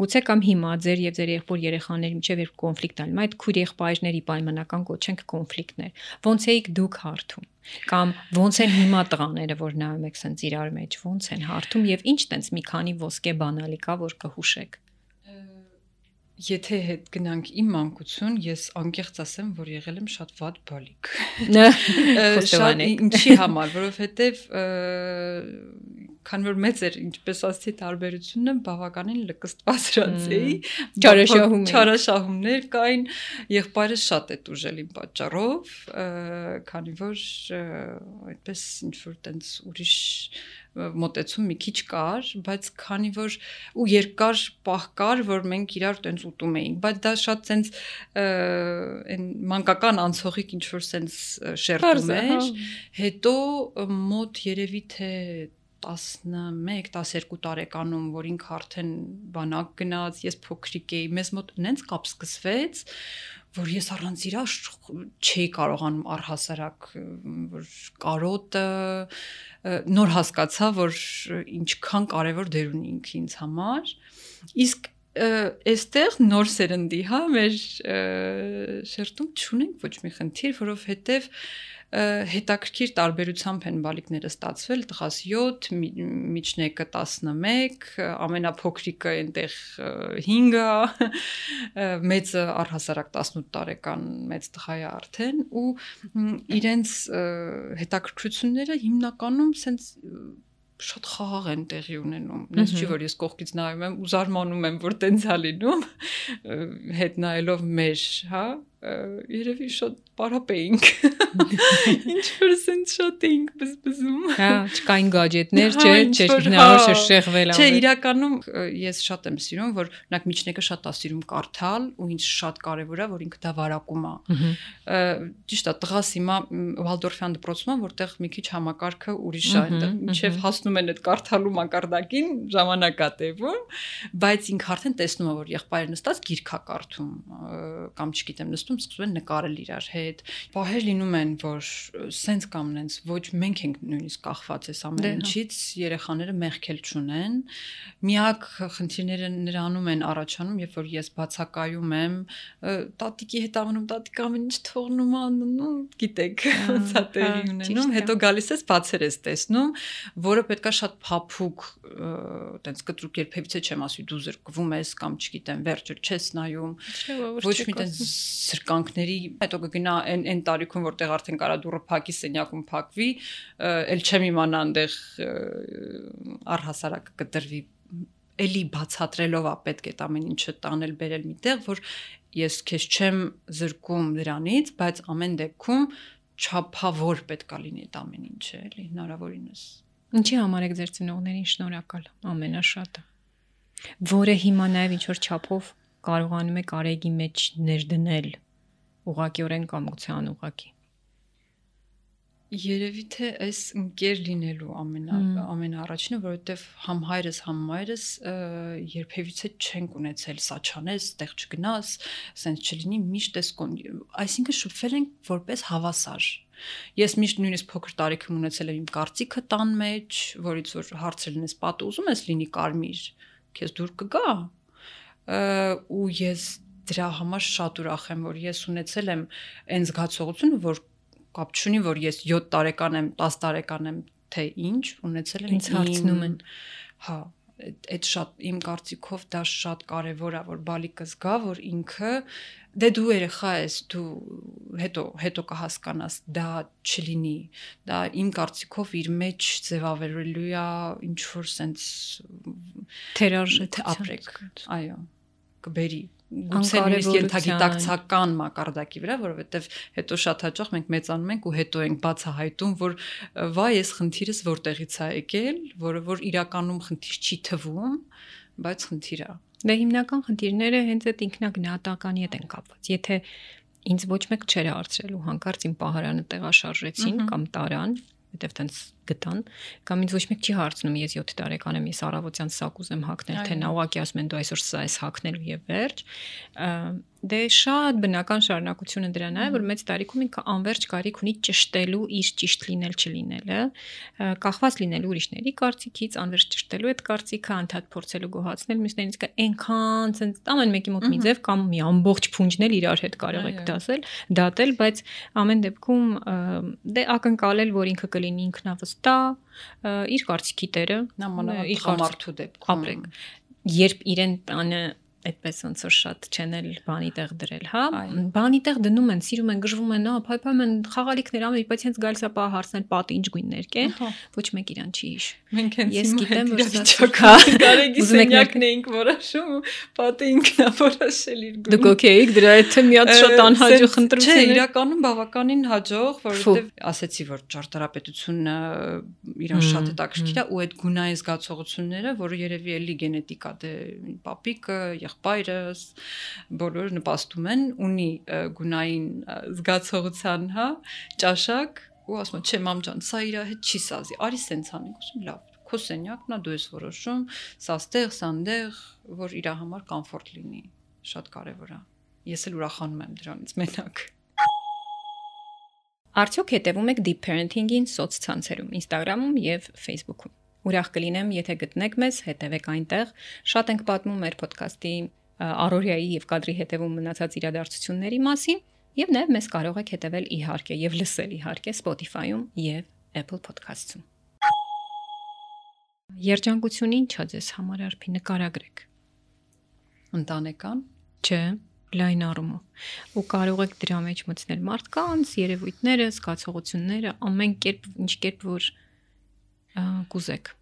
գուցե կամ հիմա ձեր եւ ձեր եղբոր երեխաների միջև երբ կոնֆլիկտ ալում, այդ քույր եղբայրների պայմանական կոչենք կոնֆլիկտներ։ Ոնց էիք դուք հարթում։ Կամ ոնց են հիմա տղաները, որ նայում եք սենց իրար մեջ, ոնց են հարթում եւ ինչ տենց մի քանի ոսկե բանալի կա, որ կհուշեք։ Եթե հետ գնանք իմ մանկություն, ես անկեղծ ասեմ, որ եղել եմ շատ վատ բալիկ։ Շատ ինչի համար, որովհետև քանի որ մեծ էր, ինչպես ասացի, տարբերությունը բավականին լկստվածրած էի, չարաշահումներ կային, եղբայրս շատ է տուժել իմ պատճառով, քանի որ այդպես ինչ որ տենց ուրիշ մոտեցում մի քիչ կար, բայց քանի որ ու երկար պահ կար, որ մենք իրար տենց ուտում էինք, բայց դա շատ տենց այն մանկական անցողիկ ինչ որ տենց շերտում էր, հետո մոտ երևի թե 11-12 տարեկանում, որ ինքը արդեն բանակ գնաց, ես փոքրիկ էի, մեզ մոտ նենց կապ սկսվեց, որ ես առանց իրա չէի կարողանում առհասարակ, որ կարոտը նոր հասկացա, որ ինչքան կարևոր դեր ունի ինքը ինձ համար, իսկ այստեղ նոր սերնդի, հա, մեր շերտում չունենք ոչ մի խնդիր, որովհետև հետաքրքիր տարբերությամբ են բալիկները ստացվել, տղաս 7, միջնեկը 11, ամենափոքրիկը այնտեղ 5-ը, մեծը առհասարակ 18 տարեկան մեծ տղա է արդեն ու իրենց հետաքրքրությունները հիմնականում սենց շատ խաղաղ են տեղի ունենում։ Նենց չի որ ես կողքից նայում եմ ու զարմանում եմ, որ տենց է լինում, հետ նայելով մեր, հա, երևի շատ պարապ էինք։ Ինչ որ սենց շատ էինք բզբզում։ Հա, չկային գաջետներ, չէ, հնարավոր շեղվել ամեն։ Չէ, իրականում ես շատ եմ սիրում, որ օրինակ միջնեկը շատ է սիրում կարդալ ու ինձ շատ կարևոր է, որ ինքը դա վարակում է։ Ճիշտ է, տղաս հիմա Վալդորֆյան դպրոցում է, որտեղ մի քիչ համակարգը ուրիշ է, այնտեղ մինչև հասնում են այդ կարդալու մակարդակին ժամանակ է տևում, բայց ինքը արդեն տեսնում է, որ եղբայրը նստած գիրք է կարդում, կամ չգիտեմ, նստում սկսում են նկարել իրար հետ։ Պահեր լինում են, որ սենց կամ նենց ոչ մենք ենք նույնիսկ կախված այս ամեն ինչից, երեխաները մեղքել չունեն։ Միակ խնդիրները նրանում են առաջանում, երբ որ ես բացակայում եմ, տատիկի հետ անում, տատիկ ամեն ինչ թողնում անում, գիտեք, ոնց է տեղի ունենում, հետո գալիս ես բացեր ես տեսնում, որը պետքա շատ փափուկ, տենց կտրուկ երբևիցե չեմ ասի դու զրկվում ես կամ չգիտեմ, վերջը չես նայում, ոչ մի տենց զրկանքների, հետո կգնա այն տարիքում, որտեղ արդեն կարա դուրը փակի, սենյակում փակվի, էլ չեմ իմանա այնտեղ առհասարակ կդրվի, էլի բացատրելով է պետք է այդ ամեն ինչը տանել բերել միտեղ, որ ես քեզ չեմ զրկում դրանից, բայց ամեն դեպքում չափավոր պետքա լինի այդ ամեն ինչը, էլի հնարավորինս։ Ինչի համար եք ձեր ծնողներին շնորհակալ ամենաշատը, որը հիմա նաև ինչ որ չափով կարողանում եք արեգի մեջ ներդնել ուղղակիորեն կամության ուղղակի։ Երևի թե այս ընկեր լինելու ամենաառաջինը, որովհետև համ հայրս, համ մայրս երբևիցե չենք ունեցել սա չանես, տեղ չգնաս, սենց չլինի, միշտ այսինքն շփվել ենք որպես հավասար։ Ես միշտ նույնիսկ փոքր տարիքում ունեցել եմ իմ կարծիքը տան մեջ, որից որ հարցը լինես պատը ուզում ես լինի կարմիր, քեզ դուր կգա։ Ու ես դրա համար շատ ուրախ եմ, որ ես ունեցել եմ այն զգացողությունը, որ կապ չունի, որ ես 7 տարեկան եմ, 10 տարեկան եմ, թե ինչ, ունեցել եմ ինձ հարցնում են։ Հա, այդ շատ իմ կարծիքով դա շատ կարևոր է, որ բալիկը զգա, որ ինքը դե դու երեխա ես, դու հետո կհասկանաս, դա չլինի, դա իմ կարծիքով իր մեջ ձևավորելու է ինչ որ sense թերարժեք ապրեք, այո, կբերի գուցե նույնիսկ ենթագիտակցական մակարդակի վրա, որովհետև հետո շատ հաճախ մենք մեծանում ենք ու հետո ենք բացահայտում, որ վայ, այս խնդիրս որտեղից է եկել, որը որ իրականում խնդիր չի թվում, բայց խնդիր է։ Դե հիմնական խնդիրները հենց այդ ինքնագնահատականի հետ են կապված։ Եթե ինձ ոչ մեկ չէր հարցրել ու հանկարծ իմ պահարանը տեղաշարժեցին կամ տարան, որտեվ տենց գտան, կամ ինձ ոչ մեկ չի հարցնում, ես 7 տարեկան եմ, ես առավոտյան սա կուզեմ հագնել, թե նա ուղղակի ասում են դու այսօր սա ես հագնել եւ վերջ։ Դե շատ բնական շարունակությունը դրան է, որ մեծ տարիքում ինքը անverջ կարիք ունի ճշտելու իր ճիշտ լինել չլինելը, կախված լինելու ուրիշների կարծիքից, անverջ ճշտելու այդ կարծիքը, անդադ փորձելու գոհացնել մյուսներից, կա այնքան ցենց ամեն մեկի մոտ մի ձև կամ մի ամբողջ փունջնել իրար հետ կարող եք դատել, բայց ամեն դեպքում դե ակնկալել, որ ինքը կլինի ինքնավստահ, իր կարծիքի տերը, իր համարթու դեպքում ապրեք։ Երբ իրեն տանը այդպես ոնց որ շատ չենել բանի տեղ դրել, հա, բանի տեղ դնում են, սիրում են, գժվում են, փայփայում են խաղալիքներ անում, բայց հենց գալիս է պահ հարցնել պատի ինչ գույններ կեն, ոչ մեկ իրան չի հիշ։ Մենք հենց ես գիտեմ, որ վիճակա կարելի սենյակն էինք որոշում ու պատը ինքն է որոշել իր գույնը։ Դուք օքեյ եք դրա հետ մի հատ շատ անհաջող ընտրություն է։ Չէ, իրականում բավականին հաջող, որովհետև ասեցի, որ ճարտարապետությունը իրան շատ հետաքրքիր է ու այդ գունային զգացողությունները, որը երևի էլի գենետիկա դե պապիկը եղբայրս բոլորը նպաստում են, ունի գունային զգացողության, հա, ճաշակ ու ասում եմ, չէ, մամ ջան, սա իր հետ չի սազի, արի սենց անենք, ասում լավ, քո սենյակն է, դու ես որոշում, սա ստեղ, սանդեղ, որ իր համար կոմֆորտ լինի, շատ կարևոր է։ Ես էլ ուրախանում եմ դրանից մենակ։ Արդյոք հետևում եք deep parenting-ին սոցցանցերում, Instagram-ում եւ Facebook-ում։ Ուրախ կլինեմ, եթե գտնեք մեզ, հետևեք այնտեղ։ Շատ ենք պատմում մեր ոդքասթի առօրյայի եւ կադրի հետևում մնացած իրադարձությունների մասին, եւ նաեւ մեզ կարող եք հետևել իհարկե եւ լսել իհարկե Spotify-ում եւ Apple Podcast-ում։ Երջանկությունն ինչ է ձեզ համար արփի նկարագրեք։ Ընտանեկան, չէ, լայն առումով։ Ու կարող եք դրա մեջ մտցնել մարդկանց, երևույթները, զգացողությունները, ամեն կերպ, ինչ կերպ որ կուզեք։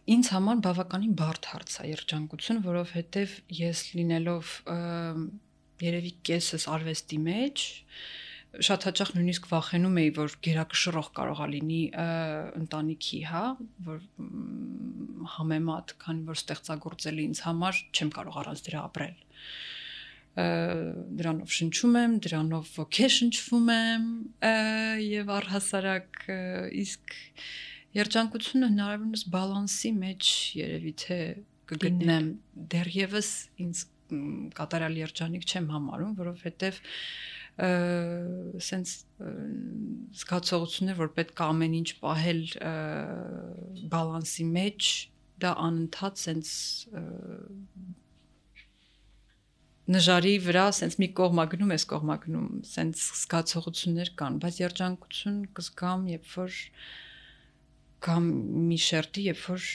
Ինձ համար բավականին բարդ հարց է երջանկություն, որովհետև ես լինելով երևի կեսս արվեստի մեջ, շատ հաճախ նույնիսկ վախենում էի, որ գերակշռող կարող է լինի ընտանիքի, հա, որ համեմատ, քանի որ ստեղծագործել ինձ համար չեմ կարող առանց դրա ապրել։ Դրանով շնչում եմ, դրանով ոգեշնչվում եմ եւ առհասարակ իսկ երջանկությունը հնարավորինս բալանսի մեջ երևի թե կգտնեմ, դեռևս ինձ կատարյալ երջանիկ չեմ համարում, որովհետեւ սենց զգացողություններ, որ պետք է ամեն ինչ պահել բալանսի մեջ, դա անընդհատ սենց նժարի վրա սենց մի կողմագնում ես կողմագնում, սենց զգացողություններ կան, բայց երջանկություն կզգամ, երբ որ կամ մի շերտի, երբ որ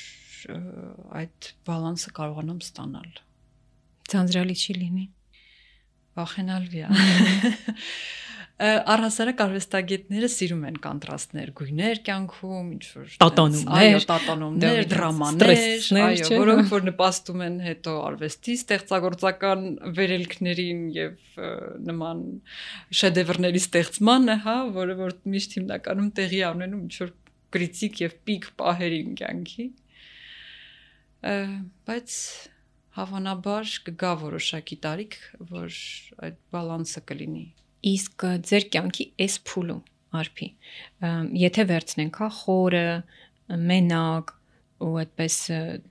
այդ բալանսը կարողանամ ստանալ։ Ձանձրալի չի լինի։ Վախենալի է։ Առհասարակ արվեստագետները սիրում են կոնտրաստներ, գույներ կյանքում, ինչ որ տատանումներ, դրամաներ, այո, որոնք որ նպաստում են հետո արվեստի ստեղծագործական վերելքներին եւ նման շեդևրների ստեղծմանը, հա, որը որ միշտ հիմնականում տեղի ունենում ինչ որ կրիտիկ եւ պիկ պահերին կյանքի։ Բայց հավանաբար կգա որոշակի տարիք, որ այդ բալանսը կլինի։ Իսկ ձեր կյանքի այս փուլում, արփի, եթե վերցնենք, հա, խորը, մենակ, ու այդպես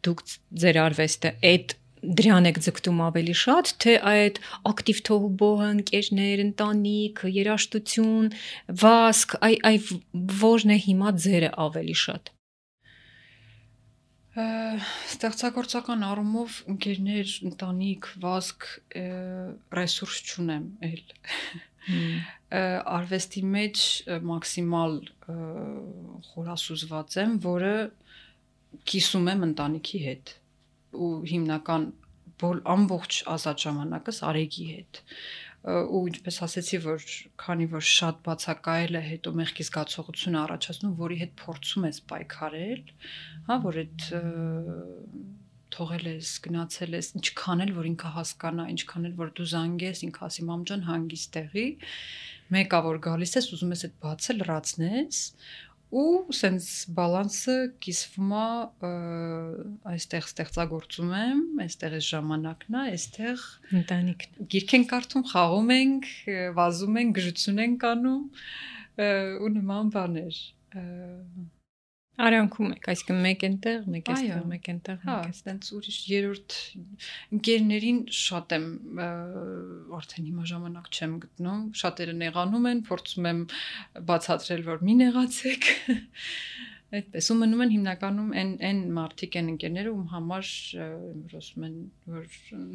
դուք ձեր արվեստը այդ դրան եք ձգտում ավելի շատ, թե այդ ակտիվ թողուբոհը, ընկերներ, ընտանիք, երաժշտություն, վազք, այ որն է հիմա ձերը ավելի շատ։ Ստեղծագործական առումով ընկերներ, ընտանիք, վազք, ռեսուրս չունեմ էլ։ Արվեստի մեջ մաքսիմալ խորասուզված եմ, որը կիսում եմ ընտանիքի հետ ու հիմնական ամբողջ ազատ ժամանակս Արեգի հետ ու ինչպես ասեցի, որ քանի որ շատ բացակայել է հետո մեղքի զգացողություն առաջացնում, որի հետ փորձում ես պայքարել, հա, որ այդ թողել ես, գնացել ես, ինչքան էլ որ ինքը հասկանա, ինչքան էլ որ դու զանգես, ինքը ասի մամ ջան հանգիստ տեղի, մեկա որ գալիս ես, ուզում ես այդ բացը լրացնես ու սենց բալանսը կիսվում է այստեղ ստեղծագործում եմ, այստեղ այս ժամանակն է, այստեղ ընտանիքն։ Գիրք ենք կարդում, խաղում ենք, վազում ենք, գժություն ենք անում ու նման բաներ։ Արանքում եք, այսինքն մեկ այնտեղ, մեկ էստեղ, մեկ այնտեղ, հա, այդտենց ուրիշ երրորդ ընկերներին շատ եմ արդեն հիմա ժամանակ չեմ գտնում, շատերը նեղանում են, փորձում եմ բացատրել, որ մի նեղացեք։ Այդպես ու մնում են հիմնականում այն մարդիկ են ընկերները, ում համար ասում են, որ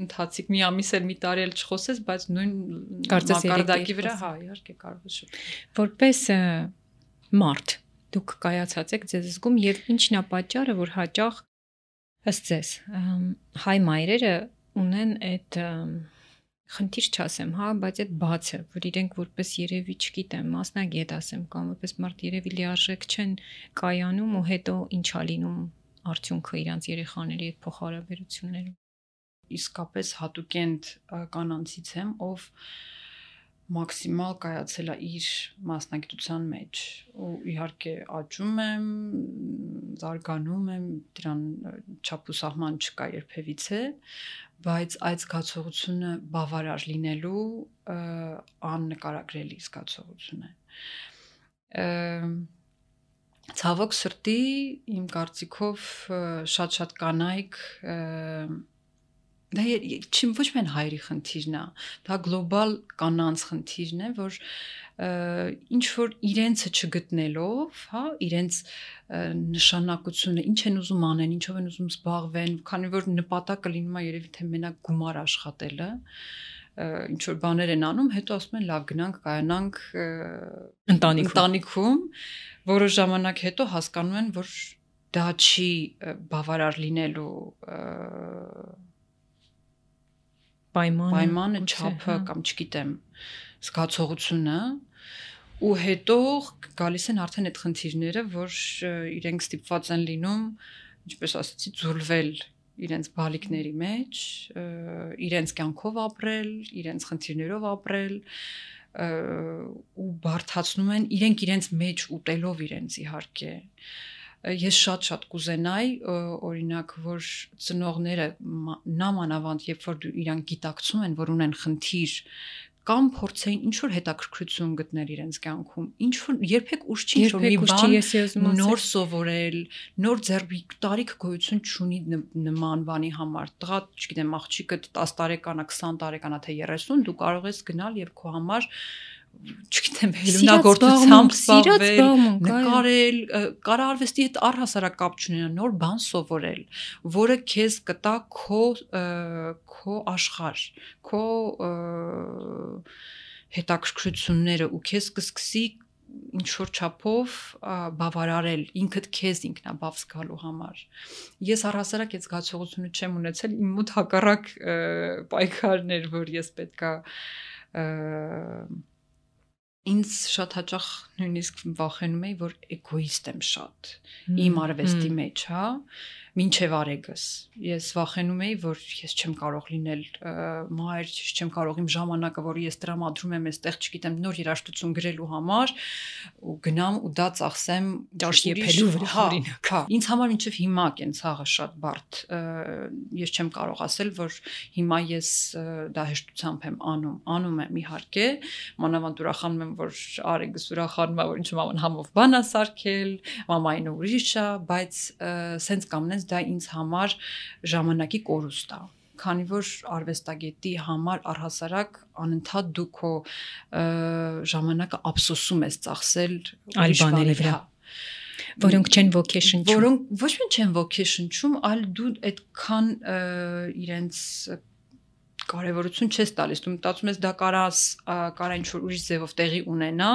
ընթացիկ մի ամիս էլ մի տարի էլ չխոսես, բայց նույն մակարդակի վրա, հա, իհարկե կարող է շփվել։ Որպես մարդ դուք կայացած եք ձեզ զգում եւ ինչն է պատճառը, որ հաճախ ըստ ձեզ հայ մայրերը ունեն այդ խնդիր չասեմ, հա, բայց այդ բացը, որ իրենք որպես երևի չգիտեմ, մասնագետ ասեմ կամ որպես մարդ երևի լիարժեք չեն կայանում ու հետո ինչ ա լինում արդյունքը իրանց երեխաների այդ փոխհարաբերություններում։ Իսկապես հատուկենտ կանանցից եմ, ով մաքսիմալ կայացել է իր մասնագիտության մեջ ու իհարկե աճում եմ, զարգանում եմ, դրան չափուսահման չկա երբևիցե, բայց այդ զգացողությունը բավարար լինելու աննկարագրելի զգացողություն է։ Ցավոք սրտի իմ կարծիքով շատ կանայք դա ոչ միայն հայերի խնդիրն է, դա գլոբալ կանանց խնդիրն է, որ ինչ որ իրենցը չգտնելով, հա, իրենց նշանակությունը, ինչ են ուզում անեն, ինչով են ուզում զբաղվեն, քանի որ նպատակը լինում է երևի թե մենակ գումար աշխատելը, ինչ որ բաներ են անում, հետո ասում են լավ գնանք կայանանք ընտանիքում, որոշ ժամանակ հետո հասկանում են, որ դա չի բավարար լինելու պայմանը չափը կամ չգիտեմ զգացողությունը ու հետո գալիս են արդեն այդ խնդիրները, որ իրենք ստիպված են լինում, ինչպես ասացի, ձուլվել իրենց բալիկների մեջ, իրենց կյանքով ապրել, իրենց խնդիրներով ապրել ու բարդացնում են իրենց մեջ ուտելով իրենց իհարկե։ Ես շատ կուզենայի օրինակ, որ ծնողները նամանավանդ, երբ որ իրանք գիտակցում են, որ ունեն խնդիր կամ փորձեին ինչ որ հետաքրքրություն գտնել իրենց կյանքում, ինչ որ երբեք ուշ չի ինչ որ մի բան նոր սովորել, նոր ձեռք տարիք գոյություն չունի նման բանի համար։ Տղա, չգիտեմ, աղջիկը 10 տարեկան է, 20 տարեկան է, թե 30, դու կարող ես գնալ եւ քո համար չգիտեմ, հելունագործությամբ զբաղվել, նկարել, կարարվեստի հետ առհասարակ կապ չունենա, նոր բան սովորել, որը քեզ կտա քո աշխարհ, քո հետաքրքրությունները ու քեզ կսկսի ինչ որ չափով բավարարել ինքդ քեզ ինքնաբավ զգալու համար։ Ես առհասարակ այդ զգացողությունը չեմ ունեցել, իմ մոտ հակառակ պայքարներ, որ ես պետքա ինձ շատ հաճախ նույնիսկ վախենում էի, որ էգոիստ եմ շատ իմ արվեստի մեջ, հա, մինչև արեգս։ Ես վախենում էի, որ ես չեմ կարող լինել մայր, չեմ կարող իմ ժամանակը, որ ես տրամադրում եմ այստեղ, չգիտեմ, նոր երաժշտություն գրելու համար ու գնամ ու դա ծախսեմ ճաշ եփելու վրա, օրինակ։ Հա, ինձ համար մինչև հիմա կեն ցաղը շատ բարդ։ Ես չեմ կարող ասել, որ հիմա ես դա հեշտությամբ եմ անում եմ իհարկե, մանավանդ ուրախանում եմ, որ արեգս ուրախանում է, որ ինչ մաման համով բան է սարքել, մամային ուրիշ է, բայց սենց կամնես դա ինձ համար ժամանակի կորուստ է, քանի որ արվեստագետի համար առհասարակ անընդհատ դու քո ժամանակը ափսոսում ես ծախսել այլ բաների վրա, որոնք չեն ոգեշնչում, որոնք ոչ միայն չեն ոգեշնչում, այլ դու այդքան իրենց կարևորություն չես տալիս, դու մտածում ես դա կարա ինչ-որ ուրիշ ձևով տեղի ունենա,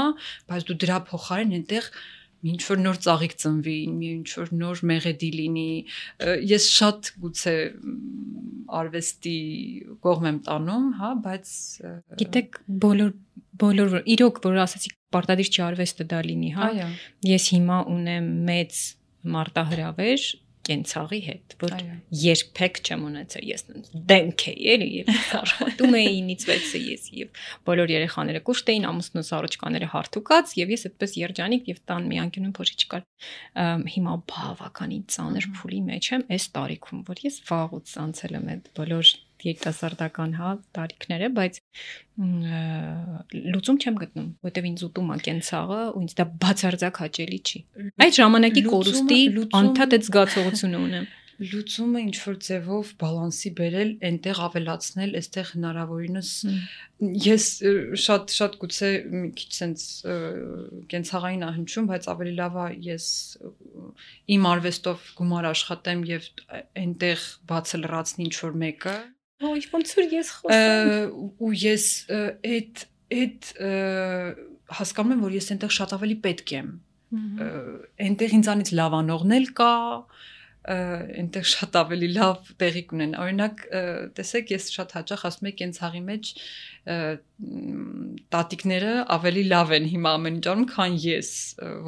բայց դու դրա փոխարեն այնտեղ ինչ-որ նոր ծաղիկ ծնվի, ինչ-որ նոր մեղեդի լինի, ես շատ գուցե արվեստի կողմ եմ տանում, հա, բայց գիտեք, բոլոր իրոք, որ ասացիք, պարտադիր չի արվեստը դա լինի, հա, ես հիմա ունեմ մեծ մարտահրավեր կենցաղի հետ, որ երբեք չեմ ունեցել, ես դենք էի, էլի, եւ աշխատում էի 9-ից 6-ը ես եւ բոլոր երեխաները կուշտ էին, ամուսնուս առողջկաները հարթուկած եւ ես այդպես երջանիկ եւ տան մի անկյունում փոշի չկար։ Հիմա բավականին ծանր փուլի մեջ եմ այս տարիքում, որ ես վաղուց անցել եմ այդ բոլոր երիտասարդական, հա, տարիքները, բայց լուծում չեմ գտնում, որտեվ ինձ ուտում է կենցաղը ու ինձ դա բացարձակ հաճելի չի։ Այդ ժամանակի կորուստի անդադ այդ զգացողությունը ունեմ։ Լուծումը ինչ որ ձևով բալանսի բերել, այնտեղ ավելացնել, այստեղ հնարավորինս ես շատ գուցե մի քիչ sense կենցաղային ահնչում, բայց ավելի լավ է ես իմ արվեստով գումար աշխատեմ եւ այնտեղ բացը լրացնի ինչ որ մեկը։ Ո՞չ ոնց որ ես խոսեմ։ Ու ես այդ հասկանում եմ, որ ես այնտեղ շատ ավելի պետք եմ։ Այնտեղ ինձանից լավանողն էլ կա, այնտեղ շատ ավելի լավ տեղի կունեն։ Օրինակ, տեսեք, ես շատ հաճախ ասում եմ կենցաղի մեջ տատիկները ավելի լավ են հիմա ամեն ինչ անում, քան ես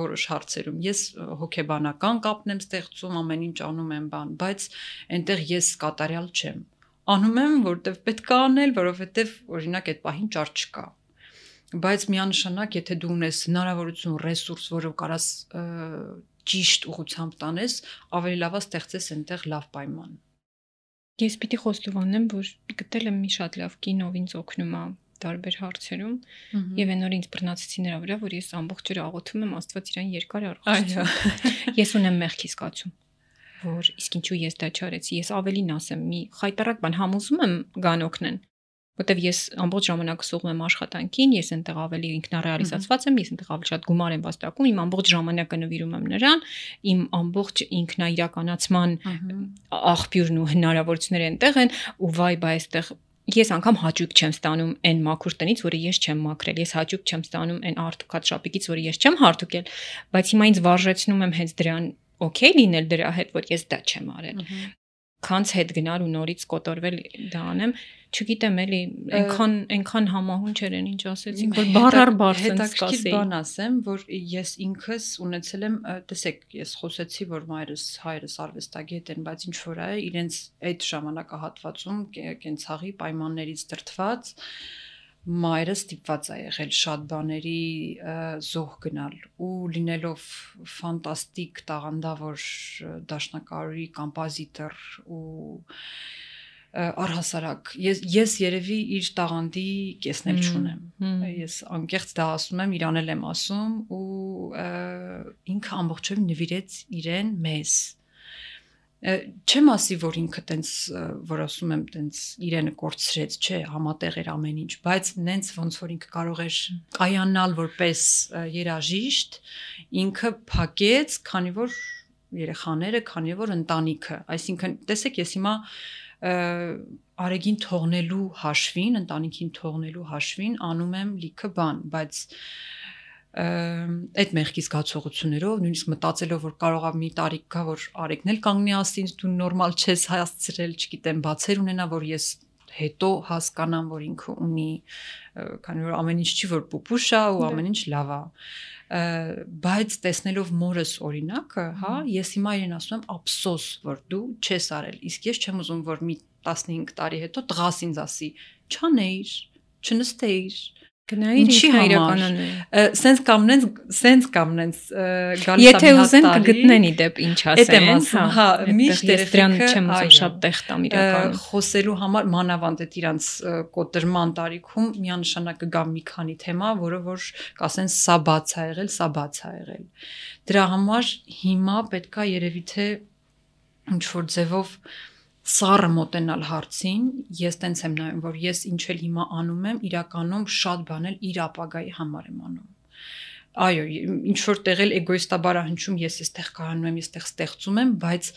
որոշ հարցերում։ Ես հոգեբանական կապն եմ ստեղծում, ամեն ինչ անում եմ բան, բայց այնտեղ ես կատարյալ չեմ։ Անում եմ, որովհետև պետք է անել, որովհետև օրինակ այդ պահին ճար չկա։ Բայց միանշանակ, եթե դու ունես հնարավորություն, ռեսուրս, որով կարաս ճիշտ ուղղությամբ տանես, ավելի լավ է ստեղծես այնտեղ լավ պայման։ Ես պիտի խոստովանեմ, որ գտել եմ մի շատ լավ կին, ով ինձ օգնում է տարբեր հարցերում, եւ այն օր ինձ բռնացեցի նրա վրա, որ ես ամբողջ օրը աղոթում եմ Աստված իրան երկար առողջություն։ Ես ունեմ մեղքի զգացում, որ իսկ ինչու ես դա չարեցի, ես ավելին ասեմ, մի խայտարակ բան համոզում եմ գան օգնեն, որտեվ ես ամբողջ ժամանակը սողում եմ աշխատանքին, ես այնտեղ ավելի ինքնարեալիզացված եմ, ես այնտեղ ավելի շատ գումար եմ վաստակում, իմ ամբողջ ժամանակը նվիրում եմ նրան, իմ ամբողջ ինքնաիրականացման աղբյուրն ու հնարավորությունները այնտեղ են, ու վայ, բայ այստեղ ես անգամ հաճույք չեմ ստանում այն մաքուր տնից, որը ես չեմ մաքրել, ես հաճույք չեմ ստանում այն արդուկած շապիկից, որը ես չեմ հարթուկել, բայց հիմա ինձ վարժեցնում եմ հենց դրան օքեյ լինել դրա հետ, որ ես դա չեմ արել։ Քանց հետ գնալ ու նորից կոտորվել դա անեմ, չգիտեմ էլի, այնքան համահունչ էր այն ինչ ասեցիք, որ բառ sense կասեի։ Բան ասեմ, որ ես ինքս ունեցել եմ, տեսեք, ես խոսեցի, որ հայրս արվեստագետ են, բայց ինչ որ է, իրենց այդ ժամանակահատվածում կենցաղի պայմաններից դրդված մայրը ստիպված է եղել շատ բաների զոհ գնալ ու լինելով ֆանտաստիկ տաղանդավոր դաշնակահարի կոմպոզիտոր ու առհասարակ ես երևի իր տաղանդի կեսնել չունեմ ես անկեղծ դա ասում եմ իրան էլ եմ ասում ու ինքը ամբողջովին նվիրեց իրեն մեզ չեմ ասի որ ինքը տենց որ ասում եմ տենց իրենը կորցրեց չէ համատեղ էր ամեն ինչ բայց նենց ոնց որ ինքը կարող էր կայանալ որպես երաժիշտ ինքը փակեց քանի որ երեխաները քանի որ ընտանիքը այսինքն տեսեք ես հիմա արեգին թողնելու հաշվին ընտանիքին թողնելու հաշվին անում եմ լիքը բան բայց այդ մեղքի զգացողություններով նույնիսկ մտածելով որ կարողա մի տարիք գա որ արեգն էլ կանգնի ասի դու նորմալ չես հասցրել չգիտեմ բացեր ունենա որ ես հետո հասկանամ որ ինքը ունի քանի որ ամեն ինչ չի որ պուպուշ է ու ամեն ինչ լավ է բայց տեսնելով մորս օրինակը հա ես հիմա իրեն ասում եմ ափսոս որ դու չես արել իսկ ես չեմ ուզում որ մի 15 տարի հետո տղաս ինձ ասի չանեիր չնստեիր Գնայիր ինքնաիրականանալ սենց կամնենց գալիս եթե ուզեն կգտնեն իդեպ ինչ ասեն հա միշտ դրան չեմ ուզում շատ տեղ տամ իրական խոսելու համար մանավանդ այդ իրանց կոտրման տարիքում միանշանակ կգա մի քանի թեմա որը որ կասեն սա բաց ա եղել դրա համար հիմա պետքա երևի թե ինչ որ ձևով սառը մոտենալ հարցին, ես տենց եմ նայում, որ ես ինչ էլ հիմա անում եմ, իրականում շատ բանել իր ապագայի համար եմ անում։ Այո, ինչ որ տեղել էգոիստաբար հնչում, ես այստեղ կայանում եմ, ես այստեղ ստեղծում եմ, բայց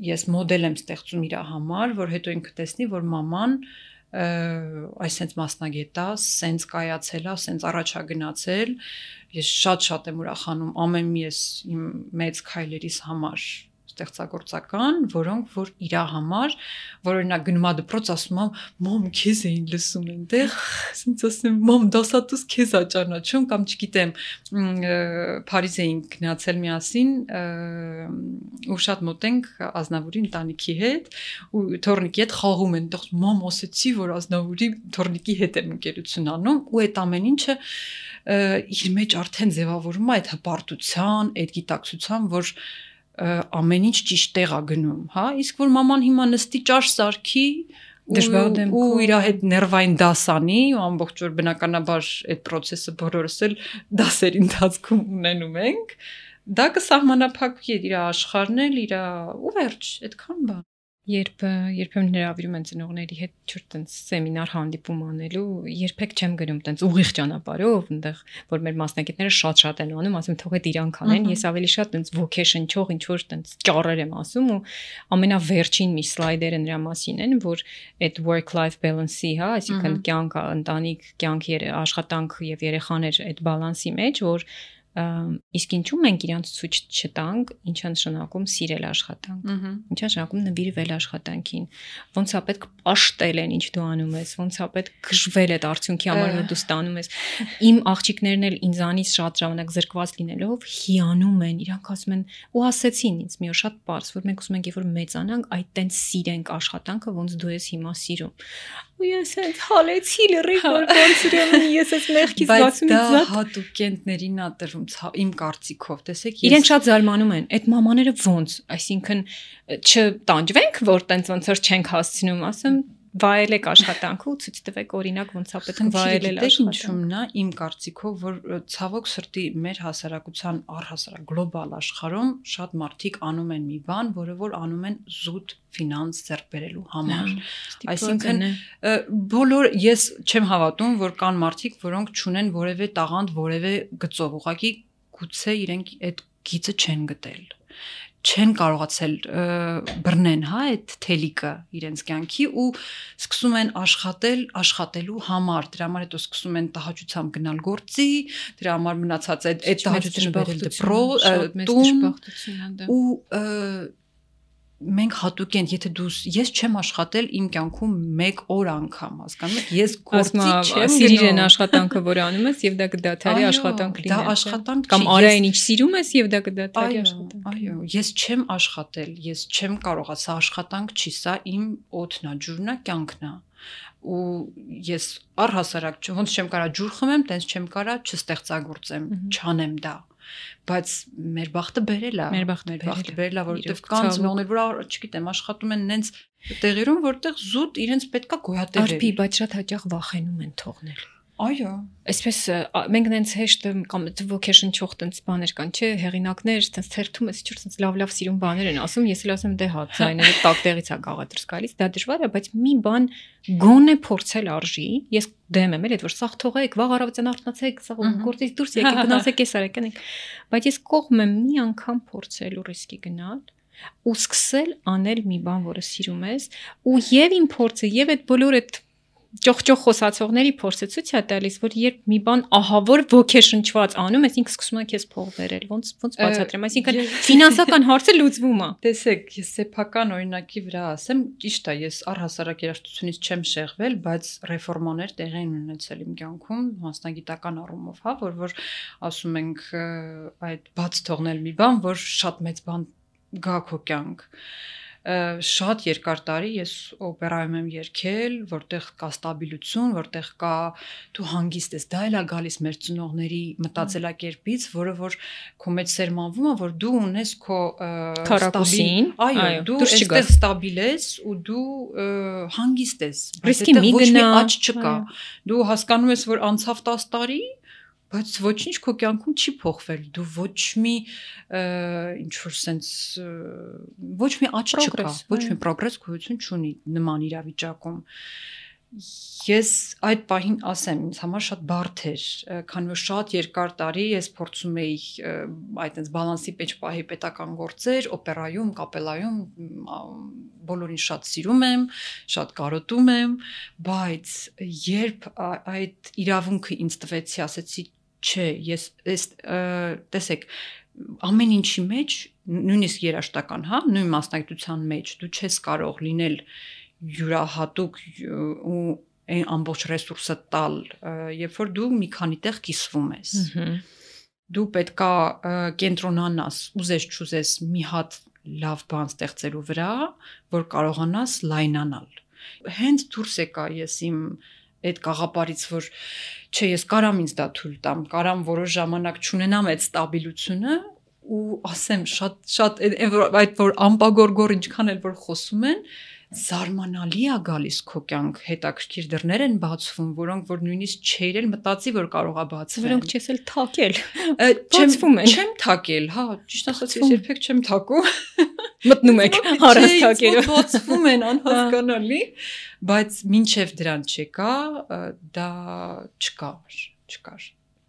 ես մոդել եմ ստեղծում իր համար, որ հետո ինքը տեսնի, որ մաման այսպես մասնագետ է, սենց կայացել է, սենց առաջա գնացել, ես շատ եմ ուրախանում ամեն մի ես իմ մեծ քայլերիս համար ստեղծագործական, որոնք որ իր համար, որ օրինակ գնում ա դպրոց ասում ամ, մամ քեզ էին լսում այնտեղ, ասենց ասեմ, մամ դասատուս քեզ ա ճանաչում կամ չգիտեմ, Փարիզ էինք գնացել միասին ու շատ մոտ ենք Ազնավուրի ընտանիքի հետ ու թորնիկի հետ խաղում են, այդտեղ մամ ասեցի, որ Ազնավուրի թորնիկի հետ եմ ընկերություն անում ու այդ ամեն ինչը իր մեջ արդեն ձևավորում է այդ հպարտության, այդ գիտակցության, որ ամեն ինչ ճիշտ տեղ է գնում, հա, իսկ որ մաման հիմա նստի ճաշ սարքի ու իր հետ ներվային դասանի ու ամբողջ օր բնականաբար այդ process-ը բոլորս էլ դասերի ընթացքում ունենում ենք դա կսահմանափակվի իր աշխարհն էլ իր ու վերջ այդքան բան երբեմն հրավիրում են ծնողների հետ չոր տենց սեմինար հանդիպում անելու երբեք չեմ գնում տենց ուղիղ ճանապարհով այնտեղ որ մեր մասնակիցները շատ են անում ասում թող այդ իրանք անեն ես ավելի շատ տենց vocation-չող ինչ որ տենց ճառեր եմ ասում ու ամենավերջին մի սլայդերը նրա մասին են որ այդ work life balance-ի հա այսինքն կյանք ընտանիք կյանք աշխատանք եւ երեխաներ այդ բալանսի մեջ որ իսկ ինչու մենք իրանց ցույց չտանք ինչա նշանակում սիրել աշխատանք ինչա նշանակում նվիրվել աշխատանքին ոնց է պետք պաշտել են ինչ դու անում ես ոնց է պետք գժվել այդ արդյունքի համար որ դու ստանում ես իմ աղջիկներն էլ ինձանից շատ ժամանակ զրկված լինելով հիանում են իրանք ասում են ու ասեցին ինձ մի օր շատ པարզ որ մենք ուզում ենք երբ որ մեծանանք այդ տենց սիրենք աշխատանքը ոնց դու ես հիմա սիրում ու ես այդ հալեցի լրիվ որ ոնց իրեն ես այս մեղքից բացումից դա հատուկենտներին ա տրվում իմ կարծիքով տեսեք իրենք շատ զարմանում են այդ մամաները ոնց այսինքն չտանջվենք որ տենց ոնց որ չենք հասցնում ասեմ վայելեք աշխատանքը ու ցույց տվեք օրինակ ոնց է պետք վայելել աշխատանքը իմ կարծիքով որ ցավոք սրտի մեր հասարակության առհասարակ գլոբալ աշխարհում շատ մարդիկ անում են մի բան որը որ անում են զուտ ֆինանս ձեռք բերելու համար այսինքն բոլոր ես չեմ հավատում որ կան մարդիկ որոնք չունեն որևէ տաղանդ որևէ գծով ուղղակի գուցե իրենք այդ գիծը չեն գտել չեն կարողացել բռնեն հա այդ թելիկը իրենց կյանքի ու սկսում են աշխատելու համար դրա համար հետո սկսում են տհաճությամբ գնալ գործի դրա համար մնացած այդ տհաճությունը բերել դպրոց ու մենք հատուկ են եթե ես չեմ աշխատել իմ կյանքում 1 օր անգամ հասկանում եք ես գործի չեմ սիրիր են աշխատանքը որ անում ես եւ դա կդադարի աշխատանք լինի դա աշխատանք կամ արա այն ինչ սիրում ես եւ դա կդադարի աշխատանք այո ես չեմ աշխատել ես չեմ կարող սա աշխատանք չի սա իմ օդն է ջուրն է կյանքն է ու ես առհասարակ ոնց չեմ կարա ջուր խմեմ տենց չեմ կարա չստեղծագործեմ չանեմ դա բայց մեր բախտը բերել է մեր բախտը բերել է որովհետև կան ծնողներ որ չգիտեմ աշխատում են նենց տեղերում որտեղ զուտ իրենց պետքա գոյատևել արփի բայց շատ հաճախ վախենում են թողնել այո այսպես մենք նենց հեշտ կամ vocation չող տենց բաներ կան չէ հեղինակներ տենց թերթում ես ինչ-որ տենց լավ սիրուն բաներ են ասում ես էլ ասում դե հա ձայները տակ տեղից է գաղադրս գալիս դա դժվար է բայց մի բան գոնե փորձել արժի ես դեմ եմ էլ այդ որ սաղ թողեք վաղ առավոտյան արթնացեք սաղ գործից դուրս եկեք գնացեք ես արեք անեք բայց ես կողմ եմ մի անգամ փորձել ու ռիսկի գնալ ու սկսել անել մի բան որը սիրում ես ու եւ իմ փորձը եւ այդ բոլոր այդ ճոխ խոսացողների փորձը ցույց է տալիս որ երբ մի բան ահավոր vocation-չված անում ես ինքը սկսում է քեզ փող բերել ոնց բացատրեմ այսինքն ֆինանսական հարցը լուծվում է տեսեք ես սեփական օրինակի վրա ասեմ ճիշտ է ես առհասարակ երաժշտությունից չեմ շեղվել բայց ռեֆորմաներ տեղի են ունեցել իմ կյանքում մասնագիտական առումով հա որ ասում ենք այդ բաց թողնել մի բան որ շատ մեծ բան գա քո կյանք շատ երկար տարի ես օպերայում եմ երգել, որտեղ կա ստաբիլություն, որտեղ կա դու հանգիստ ես, դա էլ է գալիս մեր ծնողների մտածելակերպից, որը որ քո մեջ սերմանվում է, որ դու ունես քո քարակուսին, այո, դու այստեղ ստաբիլ ես ու դու հանգիստ ես, ռիսկի մի գնա, աճ չկա, դու հասկանում ես, որ անցավ 10 տարի բայց ոչինչ քո կյանքում չի փոխվել դու ոչ մի ինչ որ sense ոչ մի աճ չկա ոչ մի պրոգրես գոյություն չունի նման իրավիճակում ես այդ պահին ասեմ ինձ համար շատ բարդ էր քանի որ շատ երկար տարի ես փորձում էի այդպես բալանսի մեջ պահի պետական գործեր օպերայում կապելայում բոլորին շատ սիրում եմ շատ կարոտում եմ բայց երբ այդ իրավունքը ինձ տվեցի ասեցի չէ ես տեսեք ամեն ինչի մեջ նույնիսկ երաժշտական հա նույն մասնագիտության մեջ դու չես կարող լինել յուրահատուկ ու այն ամբողջ ռեսուրսը տալ երբ որ դու մի քանի տեղ կիսվում ես դու պետքա կենտրոնանաս ուզես չուզես մի հատ լավ բան ստեղծելու վրա որ կարողանաս լայնանալ հենց դուրս եկա ես իմ այդ կաղապարից որ չէ ես կարամ ինձ դա թույլ տամ կարամ որոշ ժամանակ չունենամ այդ ստաբիլությունը ու ասեմ շատ այդ որ ամպագորգոր ինչքան էլ որ խոսում են զարմանալի է գալիս քո կյանք, հետաքրքիր դռներ են բացվում, որոնք որ նույնիսկ չէր էլ մտածի, որ կարող է բացվել։ Որոնք չես էլ թակել։ Բացվում են։ Չեմ թակել, հա, ճիշտ ասած ես երբեք չեմ թակում։ Մտնում եք հարաս թակերով։ Բացվում են անհասկանալի, բայց մինչև դրան չեկա, դա չկար։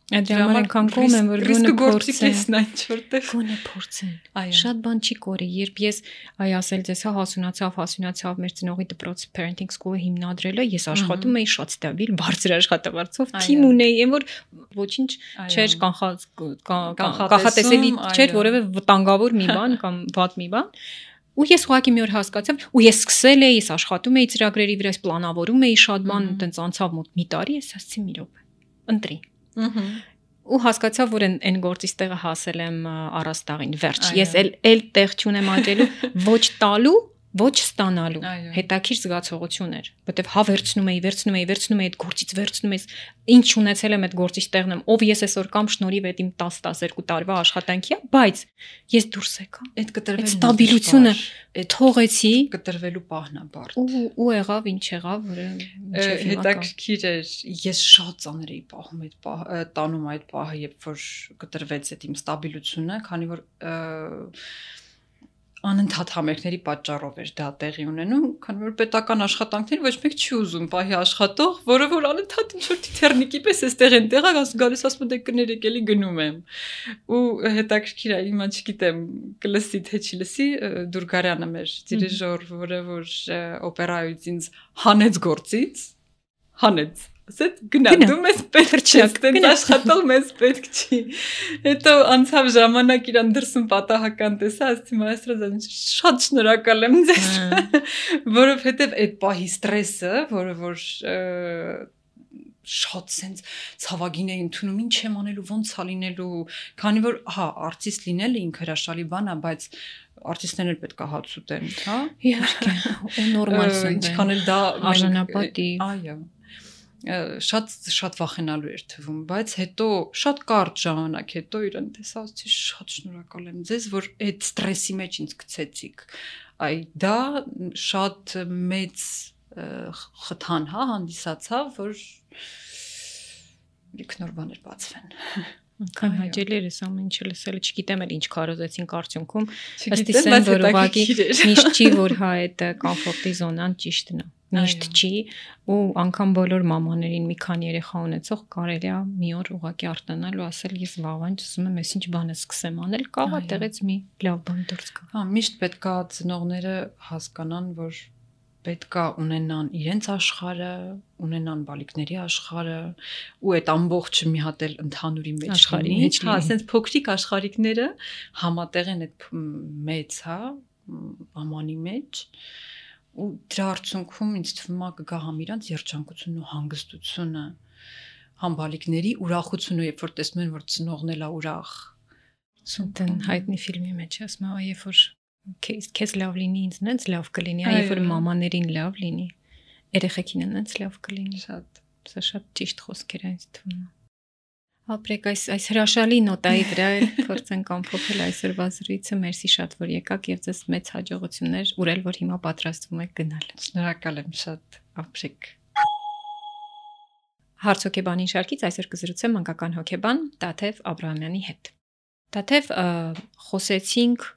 Դրամար այնքան կողմ եմ, որ գոնե փորձեն։ Գոնե փորձեն։ Շատ բան չի կորի, երբ ես ասել ձեզ հասունացավ մեր ծնողի դպրոց parenting school-ը հիմնադրելը, ես աշխատում էի շատ ստաբիլ, բարձր աշխատավարձով, թիմ ունեի, այն որ ոչինչ չէր կանխատեսելի չէր որևէ վտանգավոր մի բան կամ վատ մի բան։ Ու ես ուղղակի մի օր հասկացա, ու ես սկսել էի, ես աշխատում էի ծրագրերի վրա, ես պլանավորում էի շատ բան, տենց անցավ մոտ մի տարի, ես ասացի մի րոպե, ընտրի։ Ու հասկացա, որ այն գործից տեղը հասել եմ առաստաղին, վերջ, ես էլ տեղ չունեմ աճելու, ոչ տալու, ոչ ստանալու, հետաքրքիր զգացողություն էր, որտեվ հա վերցնում էի այդ գործից վերցնում ես, ինչ ունեցել եմ այդ գործից տեղն եմ, ով ես այսօր կամ շնորհիվ այդ իմ 10-12 տարվա աշխատանքի է, բայց ես դուրս եկա, այդ կտրվելու ստաբիլությունը թողեցի, կտրվելու պահն է բարդ։ Ու եղավ ինչ եղավ, որը հետաքրքիր էր, ես շատ ծանր էի պահում այդ տանում այդ պահը, երբ որ կտրվեց այդ իմ ստաբիլությունը, քանի որ անընդհատ համերգների պատճառով էր դա տեղի ունենում, քանի որ պետական աշխատանքներ ոչ մեկ չի ուզում պահի աշխատող, որը որ անընդհատ ինչ-որ թիթեռնիկի պես էստեղ այնտեղ գալիս ասում դե կներեք էլի գնում եմ։ Ու հետաքրքիր է, հիմա չգիտեմ, կլսի թե չի լսի, Դուրգարյանը մեր դիրիժոր, որը որ օպերայից ինձ հանեց գործից, հանեց ասեց գնա դու մեզ պետք չես տենց աշխատող մեզ պետք չի հետո անցավ ժամանակ իրան դրսում պատահական տեսա ասեցի մայստրոզան շատ շնորհակալ եմ ձեզ որովհետև այդ պահի ստրեսը որը որ շատ sense ցավագին է ընդունում ինչ եմ անելու ոնց է լինելու քանի որ հա արտիստ լինելը ինքը հրաշալի բան է բայց արտիստներն էլ պետք է հաց ուտեն հա իհարկե ու նորմալ ինչքան էլ դա արժանապատիվ այո շատ վախենալու էր թվում, բայց հետո շատ կարճ ժամանակ հետո իրեն տեսա, ասեցի շատ շնորհակալ եմ ձեզ, որ այդ ստրեսի մեջ ինձ գցեցիք։ Այ դա շատ մեծ խթան, հա, հանդիսացավ, որ ինքնոր բաներ բացվեն։ Քան հաճելի էր այս ամեն ինչը լսելը, չգիտեմ էլ ինչ քարոզեցին արդյունքում, ըստ իսեն որ ուղղակի միշտ չի որ հա այդ կոմֆորտի զոնան ճիշտն է։ Միշտ չի ու անգամ բոլոր մամաներին մի քանի երեխա ունեցող կարելի է մի օր ուղղակի արտանալ ու ասել ես վաղանց ուզում եմ այսինչ բանը սկսեմ անել, կաղա տեղից մի լավ բան դուրս գա։ Հա, միշտ պետք է ծնողները հասկանան, որ պետք է ունենան իրենց աշխարհը, ունենան բալիկների աշխարհը ու այդ ամբողջը մի հատ էլ ընդհանուրի մեջ աշխարհի մեջ, հա, ասենց փոքրիկ աշխարհիկները համատեղ են այդ մեծ, հա, ամանի մեջ ու դրա արդյունքում ինձ թվում է կգա համ իրանց երջանկությունն ու հանգստությունը համ բալիկների ուրախությունը երբ որ տեսնում են որ ծնողն էլ է ուրախ ցույցն հայտնի ֆիլմի մեջ ասում է երբ որ քեզ լավ լինի ինձ նենց լավ կլինի երբ որ մամաներին լավ լինի երեխեքին նենց լավ կլինի սա շատ ճիշտ խոսքեր են ինձ թվում է ապրեք այս հրաշալի նոտայի վրա փորձենք ամփոփել այսօրվա զրույցը մերսի շատ որ եկաք եւ ձեզ մեծ հաջողություններ ուրել որ հիմա պատրաստվում եք գնալ շնորհակալ եմ շատ ապրեք Հարցոկեբանի շարքից այսօր կզրուցեմ մանկական հոգեբան Տաթև Աբրահամյանի հետ Տաթև խոսեցինք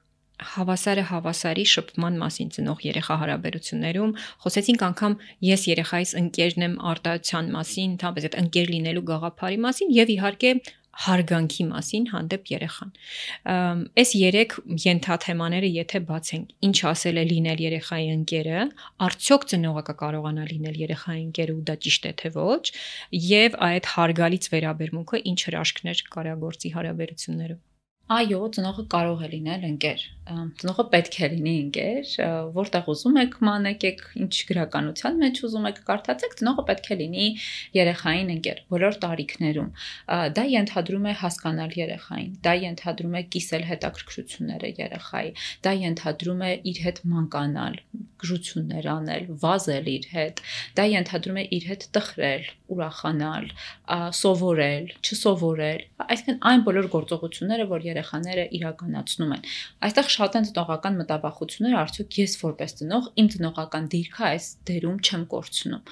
հավասարը հավասարի շփման մասին ծնող երեխա հարաբերություններում խոսեցինք անգամ ես երեխայիս ընկերն եմ արտահայտության մասին, ընդհանրապես այդ ընկեր լինելու գաղափարի մասին եւ իհարկե հարգանքի մասին հանդեպ երեխան։ Այս երեք ենթաթեմաները եթե բացենք, ինչ ասել է լինել երեխայի ընկերը, արդյոք ծնողը կկարողանա լինել երեխայի ընկերը ու դա ճիշտ է թե ոչ, եւ այդ հարգալից վերաբերմունքը ինչ հրաշքներ կարագործի հարաբերություններում։ Այո, ծնողը կարող է լինել ընկեր։ Ծնողը պետք է լինի ընկեր, որտեղ ուզում եք մանեկեք, ինչ գրականության մեջ ուզում եք կարդացեք, ծնողը պետք է լինի երեխային ընկեր բոլոր տարիքներում։ Դա ենթադրում է հասկանալ երեխային, դա ենթադրում է կիսել հետաքրքրությունները երեխայի, դա ենթադրում է իր հետ մանկանալ, գժություններ անել, վազել իր հետ, դա ենթադրում է իր հետ տխրել, ուրախանալ, սովորել, չսովորել, այսինքն այն բոլոր գործողությունները, որ երեխաները իրականացնում են։ Այստեղ շատ են ծնողական մտաբախությունները, արդյոք ես որպես ծնող իմ ծնողական դիրքը այս դերում չեմ կորցնում։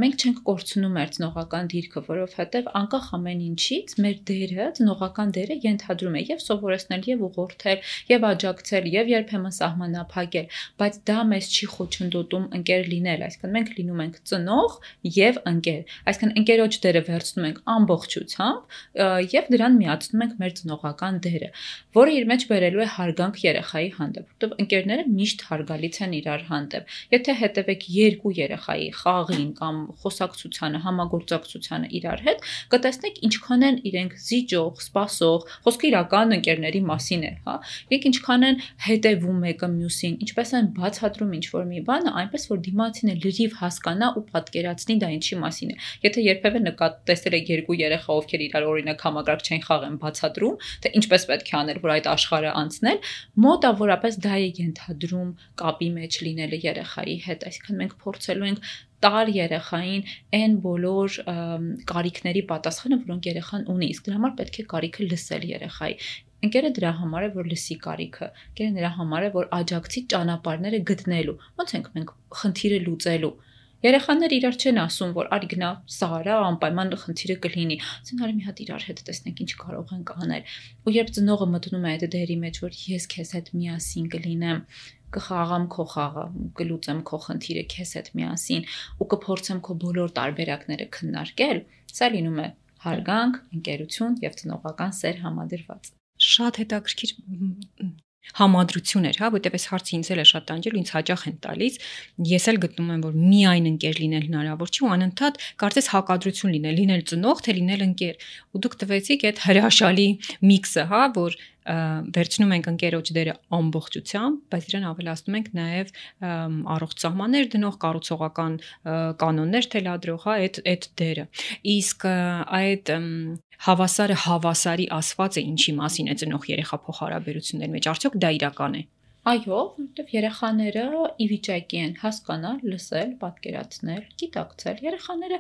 Մենք չենք կորցնում մեր ծնողական դիրքը, որովհետև անկախ ամեն ինչից մեր դերը, ծնողական դերը ենթադրում է եւ սովորեցնել, եւ ուղղորդել, եւ աջակցել, եւ երբեմն սահմանափակել, բայց դա մեզ չի խոչընդոտում ընկեր լինել, այսինքն մենք լինում ենք ծնող եւ ընկեր, այսինքն ընկերոջ դերը վերցնում ենք ամբողջությամբ եւ դրան միացնում ենք մեր ծնողական դերը, որը իր մեջ բերելու է հարգանք երեխայի հանդեպ, որտեղ ընկերները միշտ հարգալից են իրար հանդեպ։ Եթե հետևեք երկու երեխայի խաղին կամ խոսակցությանը, համագործակցությանը իրար հետ, կտեսնեք ինչքան են իրենք զիջող, սպասող, խոսքը իրական ընկերների մասին է, հա։ Իրենք ինչքան են հետևում մեկը մյուսին, ինչպես են բացատրում ինչ-որ մի բանը, այնպես որ դիմացինը լրիվ հասկանա ու պատկերացնի դա ինչի մասին է։ Եթե երբևէ տեսել եք երկու երեխա, ովքեր իրար օրինակ համակարգ չեն խաղեն, բացատրում, թե ինչպես պետք է անել, որ այդ աշխարհը անցնել, մոտավորապես դա է ենթադրում կապի մեջ լինելը երեխայի հետ, այսինքն մենք փորձելու ենք տալ երեխային այն բոլոր կարիքների պատասխանը, որոնք երեխան ունի, իսկ դրա համար պետք է կարիքը լսել երեխայի։ Ընկերը դրա համար է, որ լսի կարիքը, ընկերը դրա համար է, որ աջակցի ճանապարհները գտնելու, ոնց ենք մենք խնդիրը լուծելու։ Երեխաները իրար չեն ասում, որ արի գնա սա արա, անպայման խնդիրը կլինի, ասեն արի մի հատ իրար հետ տեսնենք ինչ կարող ենք անել։ Ու երբ ծնողը մտնում է այդ դերի մեջ, որ ես քեզ հետ միասին կլինեմ, կխաղամ քո խաղը, կլուծեմ քո խնդիրը քեզ հետ միասին ու կփորձեմ քո բոլոր տարբերակները քննարկել, սա լինում է հարգանք, ընկերություն եւ ծնողական սեր համադրված։ Շատ հետաքրքիր համադրություն էր, հա, որտեղ այս հարցը ինձ էլ է շատ տանջել, ինձ հաճախ են տալիս։ Ես էլ գտնում եմ, որ միայն ընկեր լինել հնարավոր չի ու անընդհատ կարծես հակադրություն լինել ծնող, թե լինել ընկեր։ Ու դուք տվեցիք այդ հրաշալի միքսը, հա, որ վերցնում ենք ընկերոջ դերը ամբողջությամբ, բայց դրան ավելացնում ենք նաև առողջ սահմաններ դնող, կառուցողական կանոններ թելադրող, հա, այդ դերը։ Իսկ այդ հավասարը հավասարի ասվածը ինչի մասին է ծնող երեխա փոխհարաբերությունների մեջ, արդյոք դա իրական է։ Այո, որովհետև երեխաները ի վիճակի են հասկանալ, լսել, պատկերացնել, գիտակցել։ Երեխաները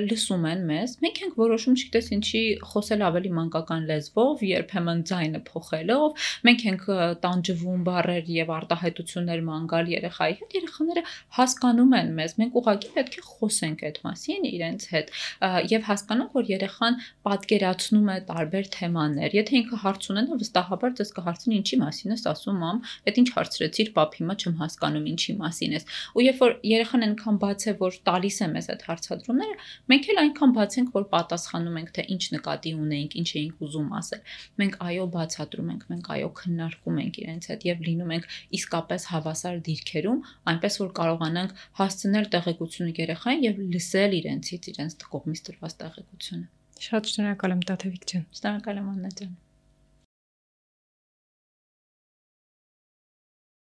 լսում են մեզ։ Մենք ենք որոշում, չգիտես ինչի, խոսել ավելի մանկական լեզվով, երբեմն ձայնը փոխելով, մենք ենք տանջվում բառեր եւ արտահայտություններ մանգալ երեխայի հետ։ Երեխաները հասկանում են մեզ։ Մենք ուղղակի պետք է խոսենք այդ մասին իրենց հետ եւ հասկանանք, որ երեխան պատկերացնում է տարբեր թեմաներ։ Եթե ինքը հարց ունենա, վստահաբար ձեզ կհարցնի ինչի մասին ես ասում, մամ, ինչ հարցրեցիր, պապ, հիմա չեմ հասկանում ինչի մասին ես։ Ու երբ որ երեխան այնքան բաց է, որ տալիս է մեզ այդ հարցադրումները, մենք էլ այնքան բաց ենք, որ պատասխանում ենք, թե ինչ նկատի ունենք, ինչ էինք ուզում ասել։ Մենք այո բացատրում ենք, մենք այո քննարկում ենք իրենց հետ եւ լինում ենք իսկապես հավասար դիրքերում, այնպես որ կարողանանք հասցնել տեղեկությունը երեխային եւ լսել իրենց կողմից տրված տեղեկությունը։ Շատ շնորհակալ եմ Տաթևիկ ջան։ Շնորհակալ եմ Աննա ջան։